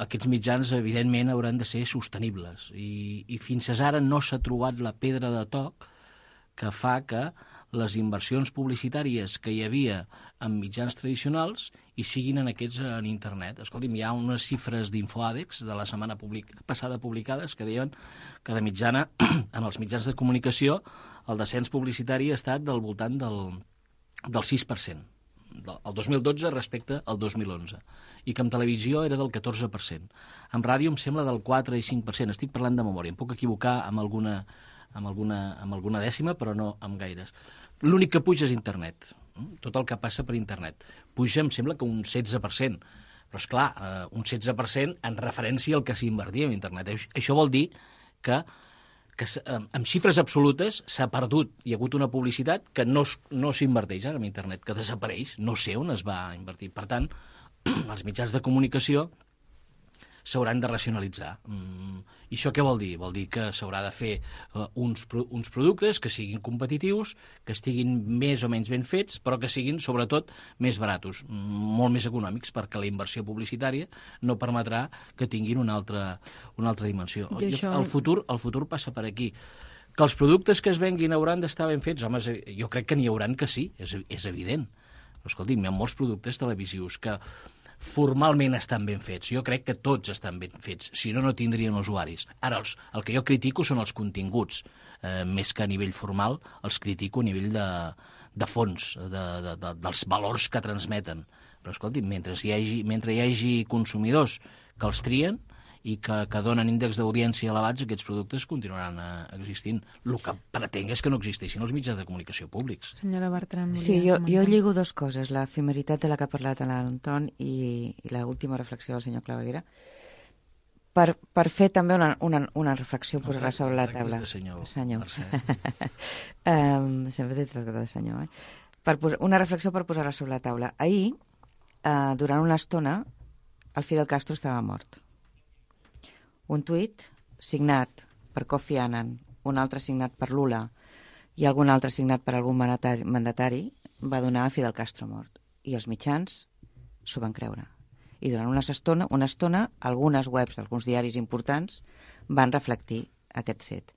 Speaker 5: aquests mitjans, evidentment, hauran de ser sostenibles. I, i fins ara no s'ha trobat la pedra de toc que fa que les inversions publicitàries que hi havia en mitjans tradicionals hi siguin en aquests en internet. Escolti'm, hi ha unes xifres d'Infoàdex de la setmana public passada publicades que deien que de mitjana en els mitjans de comunicació el descens publicitari ha estat del voltant del, del sis per cent, el dos mil dotze respecte al dos mil onze, i que en televisió era del catorze per cent. En ràdio em sembla del quatre i cinc per cent. Estic parlant de memòria, em puc equivocar amb alguna, amb alguna, amb alguna dècima, però no amb gaires. L'únic que puja és internet, tot el que passa per internet. Puja, em sembla que un setze per cent, però, esclar, eh, un setze per cent en referència al que s'invertia en internet. Això vol dir que, que amb xifres absolutes s'ha perdut. Hi ha hagut una publicitat que no, no s'inverteix ara en internet, que desapareix, no sé on es va invertir. Per tant, els mitjans de comunicació s'hauran de racionalitzar. Mm, I això què vol dir? Vol dir que s'haurà de fer uh, uns, pro uns productes que siguin competitius, que estiguin més o menys ben fets, però que siguin, sobretot, més baratos, molt més econòmics, perquè la inversió publicitària no permetrà que tinguin una altra, una altra dimensió. Això... El, futur, el futur passa per aquí. Que els productes que es venguin hauran d'estar ben fets, home, jo crec que n'hi hauran que sí, és, és evident. Però, escolti'm, hi ha molts productes televisius que formalment estan ben fets. Jo crec que tots estan ben fets, si no, no tindrien usuaris. Ara, els, el que jo critico són els continguts, eh, més que a nivell formal, els critico a nivell de, de fons, de, de, de, dels valors que transmeten. Però, escolti, mentre hi hagi, mentre hi hagi consumidors que els trien i que, que donen índexs d'audiència elevats, aquests productes continuaran eh, existint. El que pretenc és que no existeixin els mitjans de comunicació públics.
Speaker 4: Senyora Bertran,
Speaker 8: sí, jo, jo lligo dues coses, l'efemeritat de la que ha parlat l'Anton i, i l'última reflexió del senyor Claveguera, per, per fer també una, una, una reflexió, posar-la sobre la taula.
Speaker 5: De senyor,
Speaker 8: senyor. um, sempre t'he tractat de senyor, eh? Per posar, una reflexió per posar-la sobre la taula. Ahir, uh, durant una estona, el Fidel Castro estava mort. Un tuit signat per Kofi Annan, un altre signat per Lula i algun altre signat per algun mandatari, mandatari va donar a Fidel Castro mort. I els mitjans s'ho van creure. I durant una estona, una estona, algunes webs d'alguns diaris importants van reflectir aquest fet.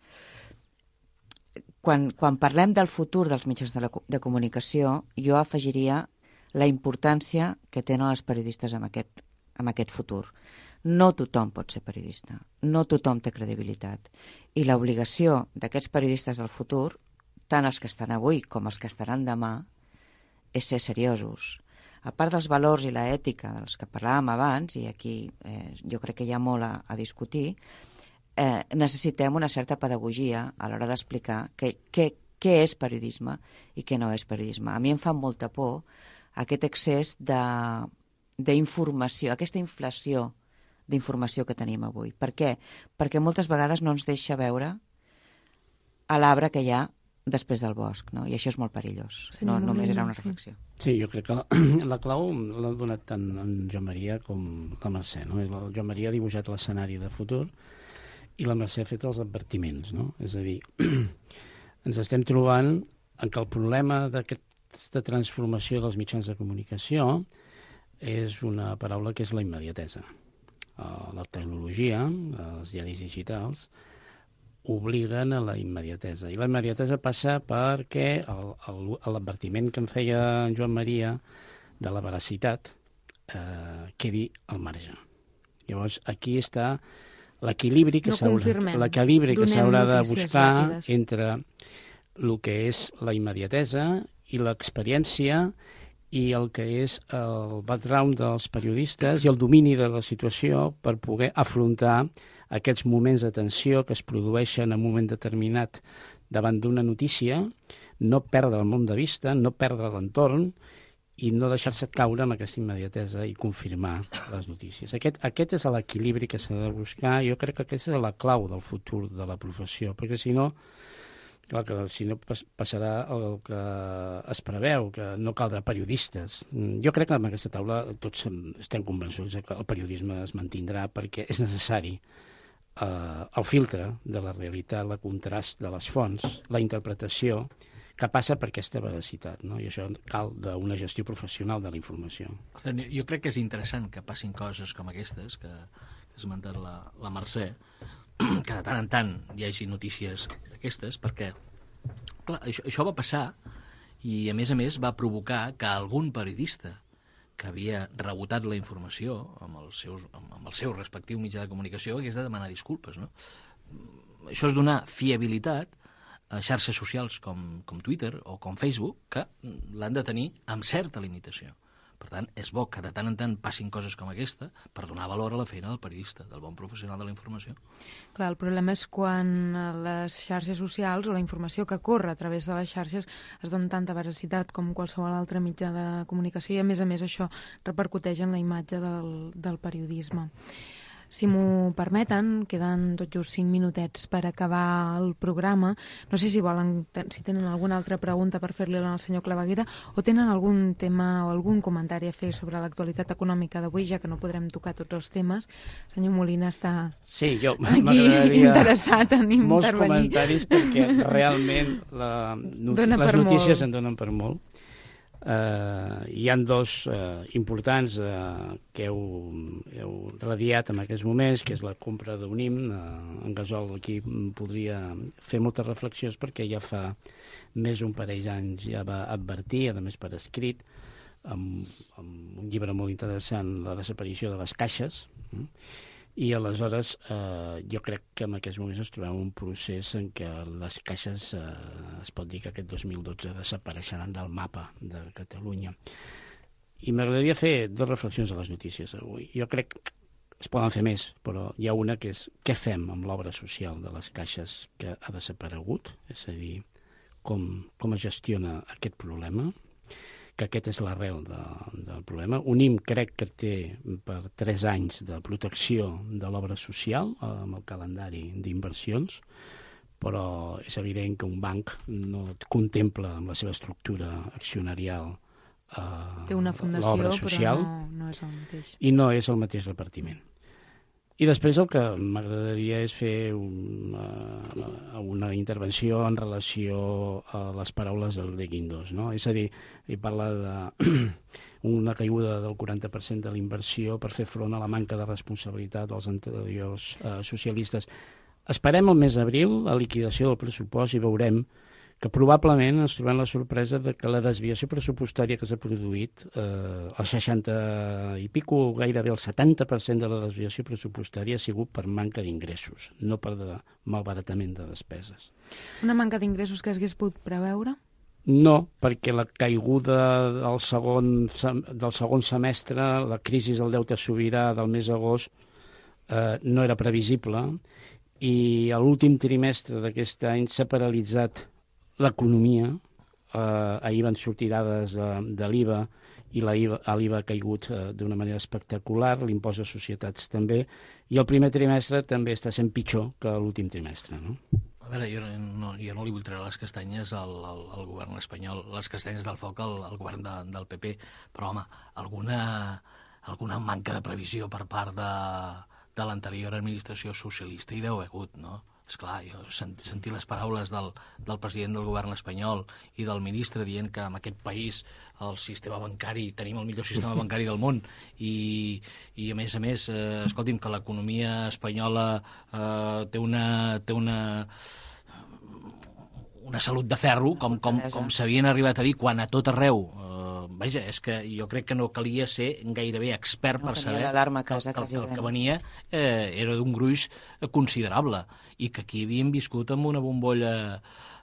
Speaker 8: Quan, quan parlem del futur dels mitjans de, la, de comunicació, jo afegiria la importància que tenen els periodistes en aquest, en aquest futur. No tothom pot ser periodista, no tothom té credibilitat. I l'obligació d'aquests periodistes del futur, tant els que estan avui com els que estaran demà, és ser seriosos. A part dels valors i l'ètica dels que parlàvem abans, i aquí eh, jo crec que hi ha molt a, a discutir, eh, necessitem una certa pedagogia a l'hora d'explicar què, què, què és periodisme i què no és periodisme. A mi em fa molta por aquest excés d'informació, aquesta inflació d'informació que tenim avui. Per què? Perquè moltes vegades no ens deixa veure a l'arbre que hi ha després del bosc, no? I això és molt perillós. Sí, no, només era una reflexió.
Speaker 7: Sí, jo crec que la, la clau l'ha donat tant en Joan Maria com la Mercè, no? El Joan Maria ha dibuixat l'escenari de futur i la Mercè ha fet els advertiments, no? És a dir, ens estem trobant en que el problema d'aquesta transformació dels mitjans de comunicació és una paraula que és la immediatesa. La tecnologia, els diaris digitals, obliguen a la immediatesa. I la immediatesa passa perquè l'advertiment que em feia en Joan Maria de la veracitat eh, quedi al marge. Llavors, aquí està l'equilibri que
Speaker 4: no
Speaker 7: s'haurà de buscar ràpides entre el que és la immediatesa i l'experiència i el que és el background dels periodistes i el domini de la situació per poder afrontar aquests moments de tensió que es produeixen en un moment determinat davant d'una notícia, no perdre el món de vista, no perdre l'entorn i no deixar-se caure amb aquesta immediatesa i confirmar les notícies. Aquest, aquest és l'equilibri que s'ha de buscar. Jo crec que aquesta és la clau del futur de la professió, perquè si no, clar que si no passarà el que es preveu, que no caldrà periodistes. Jo crec que en aquesta taula tots estem convençuts que el periodisme es mantindrà perquè és necessari eh, el filtre de la realitat, el contrast de les fonts, la interpretació que passa per aquesta veracitat, no? I això cal d'una gestió professional de la informació.
Speaker 5: Jo crec que és interessant que passin coses com aquestes, que ha esmentat la, la Mercè, que de tant en tant hi hagi notícies d'aquestes, perquè clar, això, això va passar i, a més a més, va provocar que algun periodista que havia rebotat la informació amb el, seus, amb el seu respectiu mitjà de comunicació hagués de demanar disculpes, no? Això és donar fiabilitat a xarxes socials com, com Twitter o com Facebook, que l'han de tenir amb certa limitació. Per tant, és bo que de tant en tant passin coses com aquesta per donar valor a la feina del periodista, del bon professional de la informació.
Speaker 4: Clar, el problema és quan les xarxes socials o la informació que corre a través de les xarxes es dona tanta veracitat com qualsevol altre mitjà de comunicació i, a més a més, això repercuteix en la imatge del, del periodisme. Si m'ho permeten, queden tot just cinc minutets per acabar el programa. No sé si volen, si tenen alguna altra pregunta per fer-li al senyor Claveguera o tenen algun tema o algun comentari a fer sobre l'actualitat econòmica d'avui, ja que no podrem tocar tots els temes. El senyor Molina està
Speaker 7: sí, jo
Speaker 4: aquí interessat en intervenir.
Speaker 7: Molts comentaris perquè realment la, not les notícies molt. En donen per molt. Uh, hi han dos uh, importants uh, que heu, heu radiat en aquests moments, que és la compra d'Unim. Uh, en Gasol aquí podria fer moltes reflexions perquè ja fa més d'un parell d'anys ja va advertir, a més per escrit, amb, amb un llibre molt interessant, la desaparició de les caixes. Mm? I aleshores eh, jo crec que en aquests moments ens trobem un procés en què les caixes eh, es pot dir que aquest dos mil dotze desapareixeran del mapa de Catalunya. I m'agradaria fer dues reflexions a les notícies d'avui. Jo crec que es poden fer més, però hi ha una que és què fem amb l'obra social de les caixes que ha desaparegut, és a dir, com, com es gestiona aquest problema, que aquest és l'arrel de, del problema. Unim crec que té per tres anys de protecció de l'obra social amb el calendari d'inversions, però és evident que un banc no contempla amb la seva estructura accionarial eh,
Speaker 4: té una fundació,
Speaker 7: l'obra social,
Speaker 4: però no, no és el mateix.
Speaker 7: I no és el mateix repartiment. I després el que m'agradaria és fer una, una intervenció en relació a les paraules del Greg Guindos, no? És a dir, ell parla d'una caiguda del quaranta per cent de la inversió per fer front a la manca de responsabilitat dels anteriors eh, socialistes. Esperem el mes d'abril la liquidació del pressupost i veurem que probablement ens trobem la sorpresa de que la desviació pressupostària que s'ha produït, eh, el seixanta i pico, gairebé el setanta per cent de la desviació pressupostària ha sigut per manca d'ingressos, no per de malbaratament de despeses.
Speaker 4: Una manca d'ingressos que s'hagués pogut preveure?
Speaker 7: No, perquè la caiguda del segon, del segon semestre, la crisi del deute sobirà del mes d'agost, eh, no era previsible, i a l'últim trimestre d'aquest any s'ha paralitzat l'economia. Eh, ahir van sortir dades de, de l'I V A i l'I V A ha caigut eh, d'una manera espectacular, l'impost de societats també, i el primer trimestre també està sent pitjor que l'últim trimestre, no?
Speaker 5: A veure, jo no, jo no li vull treure les castanyes al, al, al govern espanyol, les castanyes del foc al, al govern de, del P P, però, home, alguna, alguna manca de previsió per part de, de l'anterior administració socialista hi deu haver hagut, no? Esclar, jo sentir les paraules del, del president del govern espanyol i del ministre dient que en aquest país el sistema bancari, tenim el millor sistema bancari del món i, i a més a més, eh, escolti'm, que l'economia espanyola eh, té una... Té una una salut de ferro, com, com, com s'havien arribat a dir quan a tot arreu. Uh, vaja, és que jo crec que no calia ser gairebé expert no, per saber que, que, que el que venia eh, era d'un gruix considerable i que aquí havíem viscut amb una bombolla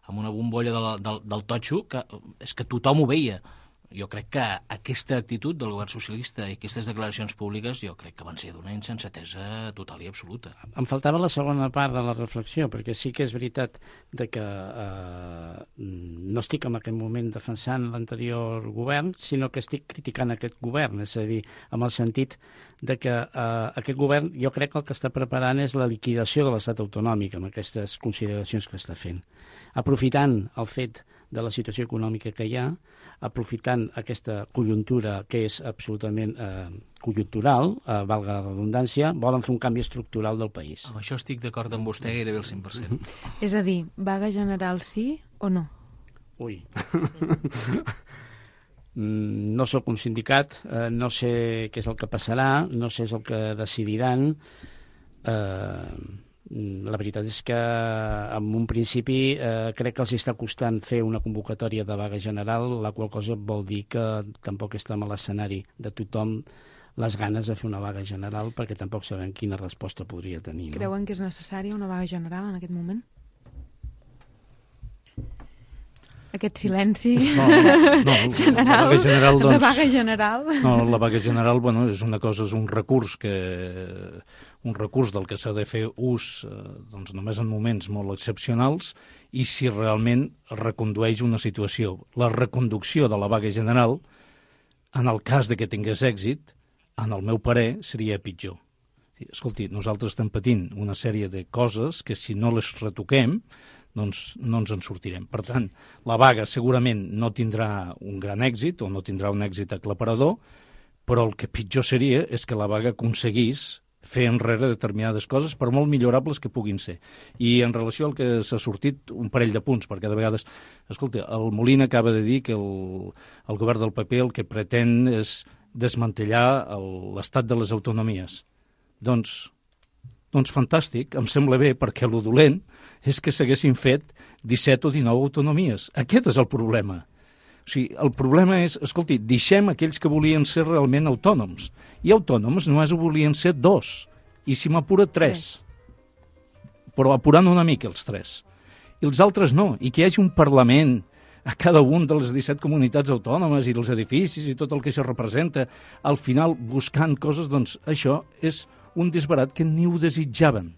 Speaker 5: amb una bombolla de la, del, del totxo que és que tothom ho veia. Jo crec que aquesta actitud del govern socialista i aquestes declaracions públiques jo crec que van ser d'una insensatesa total i absoluta.
Speaker 7: Em faltava la segona part de la reflexió, perquè sí que és veritat de que eh, no estic en aquest moment defensant l'anterior govern, sinó que estic criticant aquest govern, és a dir, amb el sentit de que eh, aquest govern jo crec que el que està preparant és la liquidació de l'estat autonòmic amb aquestes consideracions que està fent. Aprofitant el fet de la situació econòmica que hi ha, aprofitant aquesta conjuntura que és absolutament eh, conjuntural, eh, valga la redundància, volen fer un canvi estructural del país.
Speaker 5: Amb això estic d'acord amb vostè gairebé el cent per cent.
Speaker 4: És a dir, vaga general sí o no?
Speaker 7: Ui. No sóc un sindicat, eh, no sé què és el que passarà, no sé és el que decidiran. Eh, la veritat és que en un principi eh, crec que els està costant fer una convocatòria de vaga general, la qual cosa vol dir que tampoc està en l'escenari de tothom les ganes de fer una vaga general, perquè tampoc sabem quina resposta podria tenir. No?
Speaker 4: Creuen que és necessària una vaga general en aquest moment? Aquest silenci
Speaker 9: no, no, no,
Speaker 4: general,
Speaker 9: la vaga general, doncs,
Speaker 4: la vaga general.
Speaker 9: No, la vaga general, bueno, és una cosa, és un recurs que un recurs del que s'ha de fer ús eh, doncs només en moments molt excepcionals i si realment recondueix una situació. La reconducció de la vaga general, en el cas de que tingués èxit, en el meu parer, seria pitjor. Escolti, nosaltres estem patint una sèrie de coses que si no les retoquem doncs no ens en sortirem. Per tant, la vaga segurament no tindrà un gran èxit o no tindrà un èxit aclaparador, però el que pitjor seria és que la vaga aconseguís fer enrere determinades coses, per molt millorables que puguin ser. I en relació al que s'ha sortit, un parell de punts, perquè de vegades... Escolta, el Molina acaba de dir que el, el govern del P P el que pretén és desmantellar l'estat de les autonomies. Doncs, doncs fantàstic, em sembla bé, perquè el dolent és que s'haguessin fet disset o dinou autonomies. Aquest és el problema. O sigui, el problema és, escolti, deixem aquells que volien ser realment autònoms. I autònoms només ho volien ser dos, i si m'apura tres. Però apurant una mica els tres. I els altres no, i que hi hagi un Parlament a cada un de les disset comunitats autònomes i dels edificis i tot el que això representa, al final buscant coses, doncs això és un disbarat que ni ho desitjaven.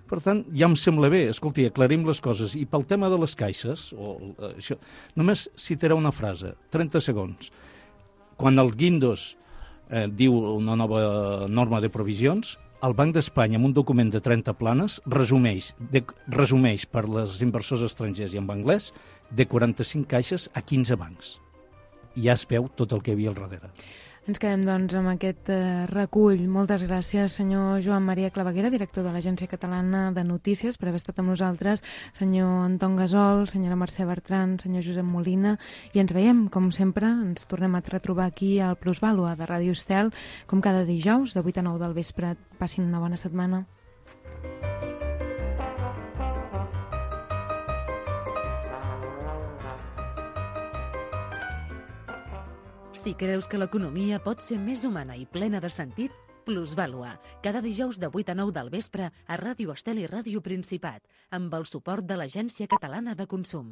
Speaker 9: Per tant, ja em sembla bé, escolti, aclarim les coses. I pel tema de les caixes, o, això, només citaré una frase, trenta segons. Quan el Guindos eh, diu una nova norma de provisions, el Banc d'Espanya, amb un document de trenta planes, resumeix, de, resumeix per les inversors estrangers i en anglès, de quaranta-cinc caixes a quinze bancs. I ja es veu tot el que hi havia al darrere.
Speaker 4: Ens quedem, doncs, amb aquest eh, recull. Moltes gràcies, senyor Joan Maria Claveguera, director de l'Agència Catalana de Notícies, per haver estat amb nosaltres, senyor Anton Gasol, senyora Mercè Bertran, senyor Josep Molina, i ens veiem, com sempre, ens tornem a retrobar aquí al Plusvàlua de Ràdio Estel, com cada dijous, de vuit a nou del vespre. Passin una bona setmana.
Speaker 2: Si creus que l'economia pot ser més humana i plena de sentit, Plusvàlua, cada dijous de vuit a nou del vespre a Ràdio Estel i Ràdio Principat, amb el suport de l'Agència Catalana de Consum.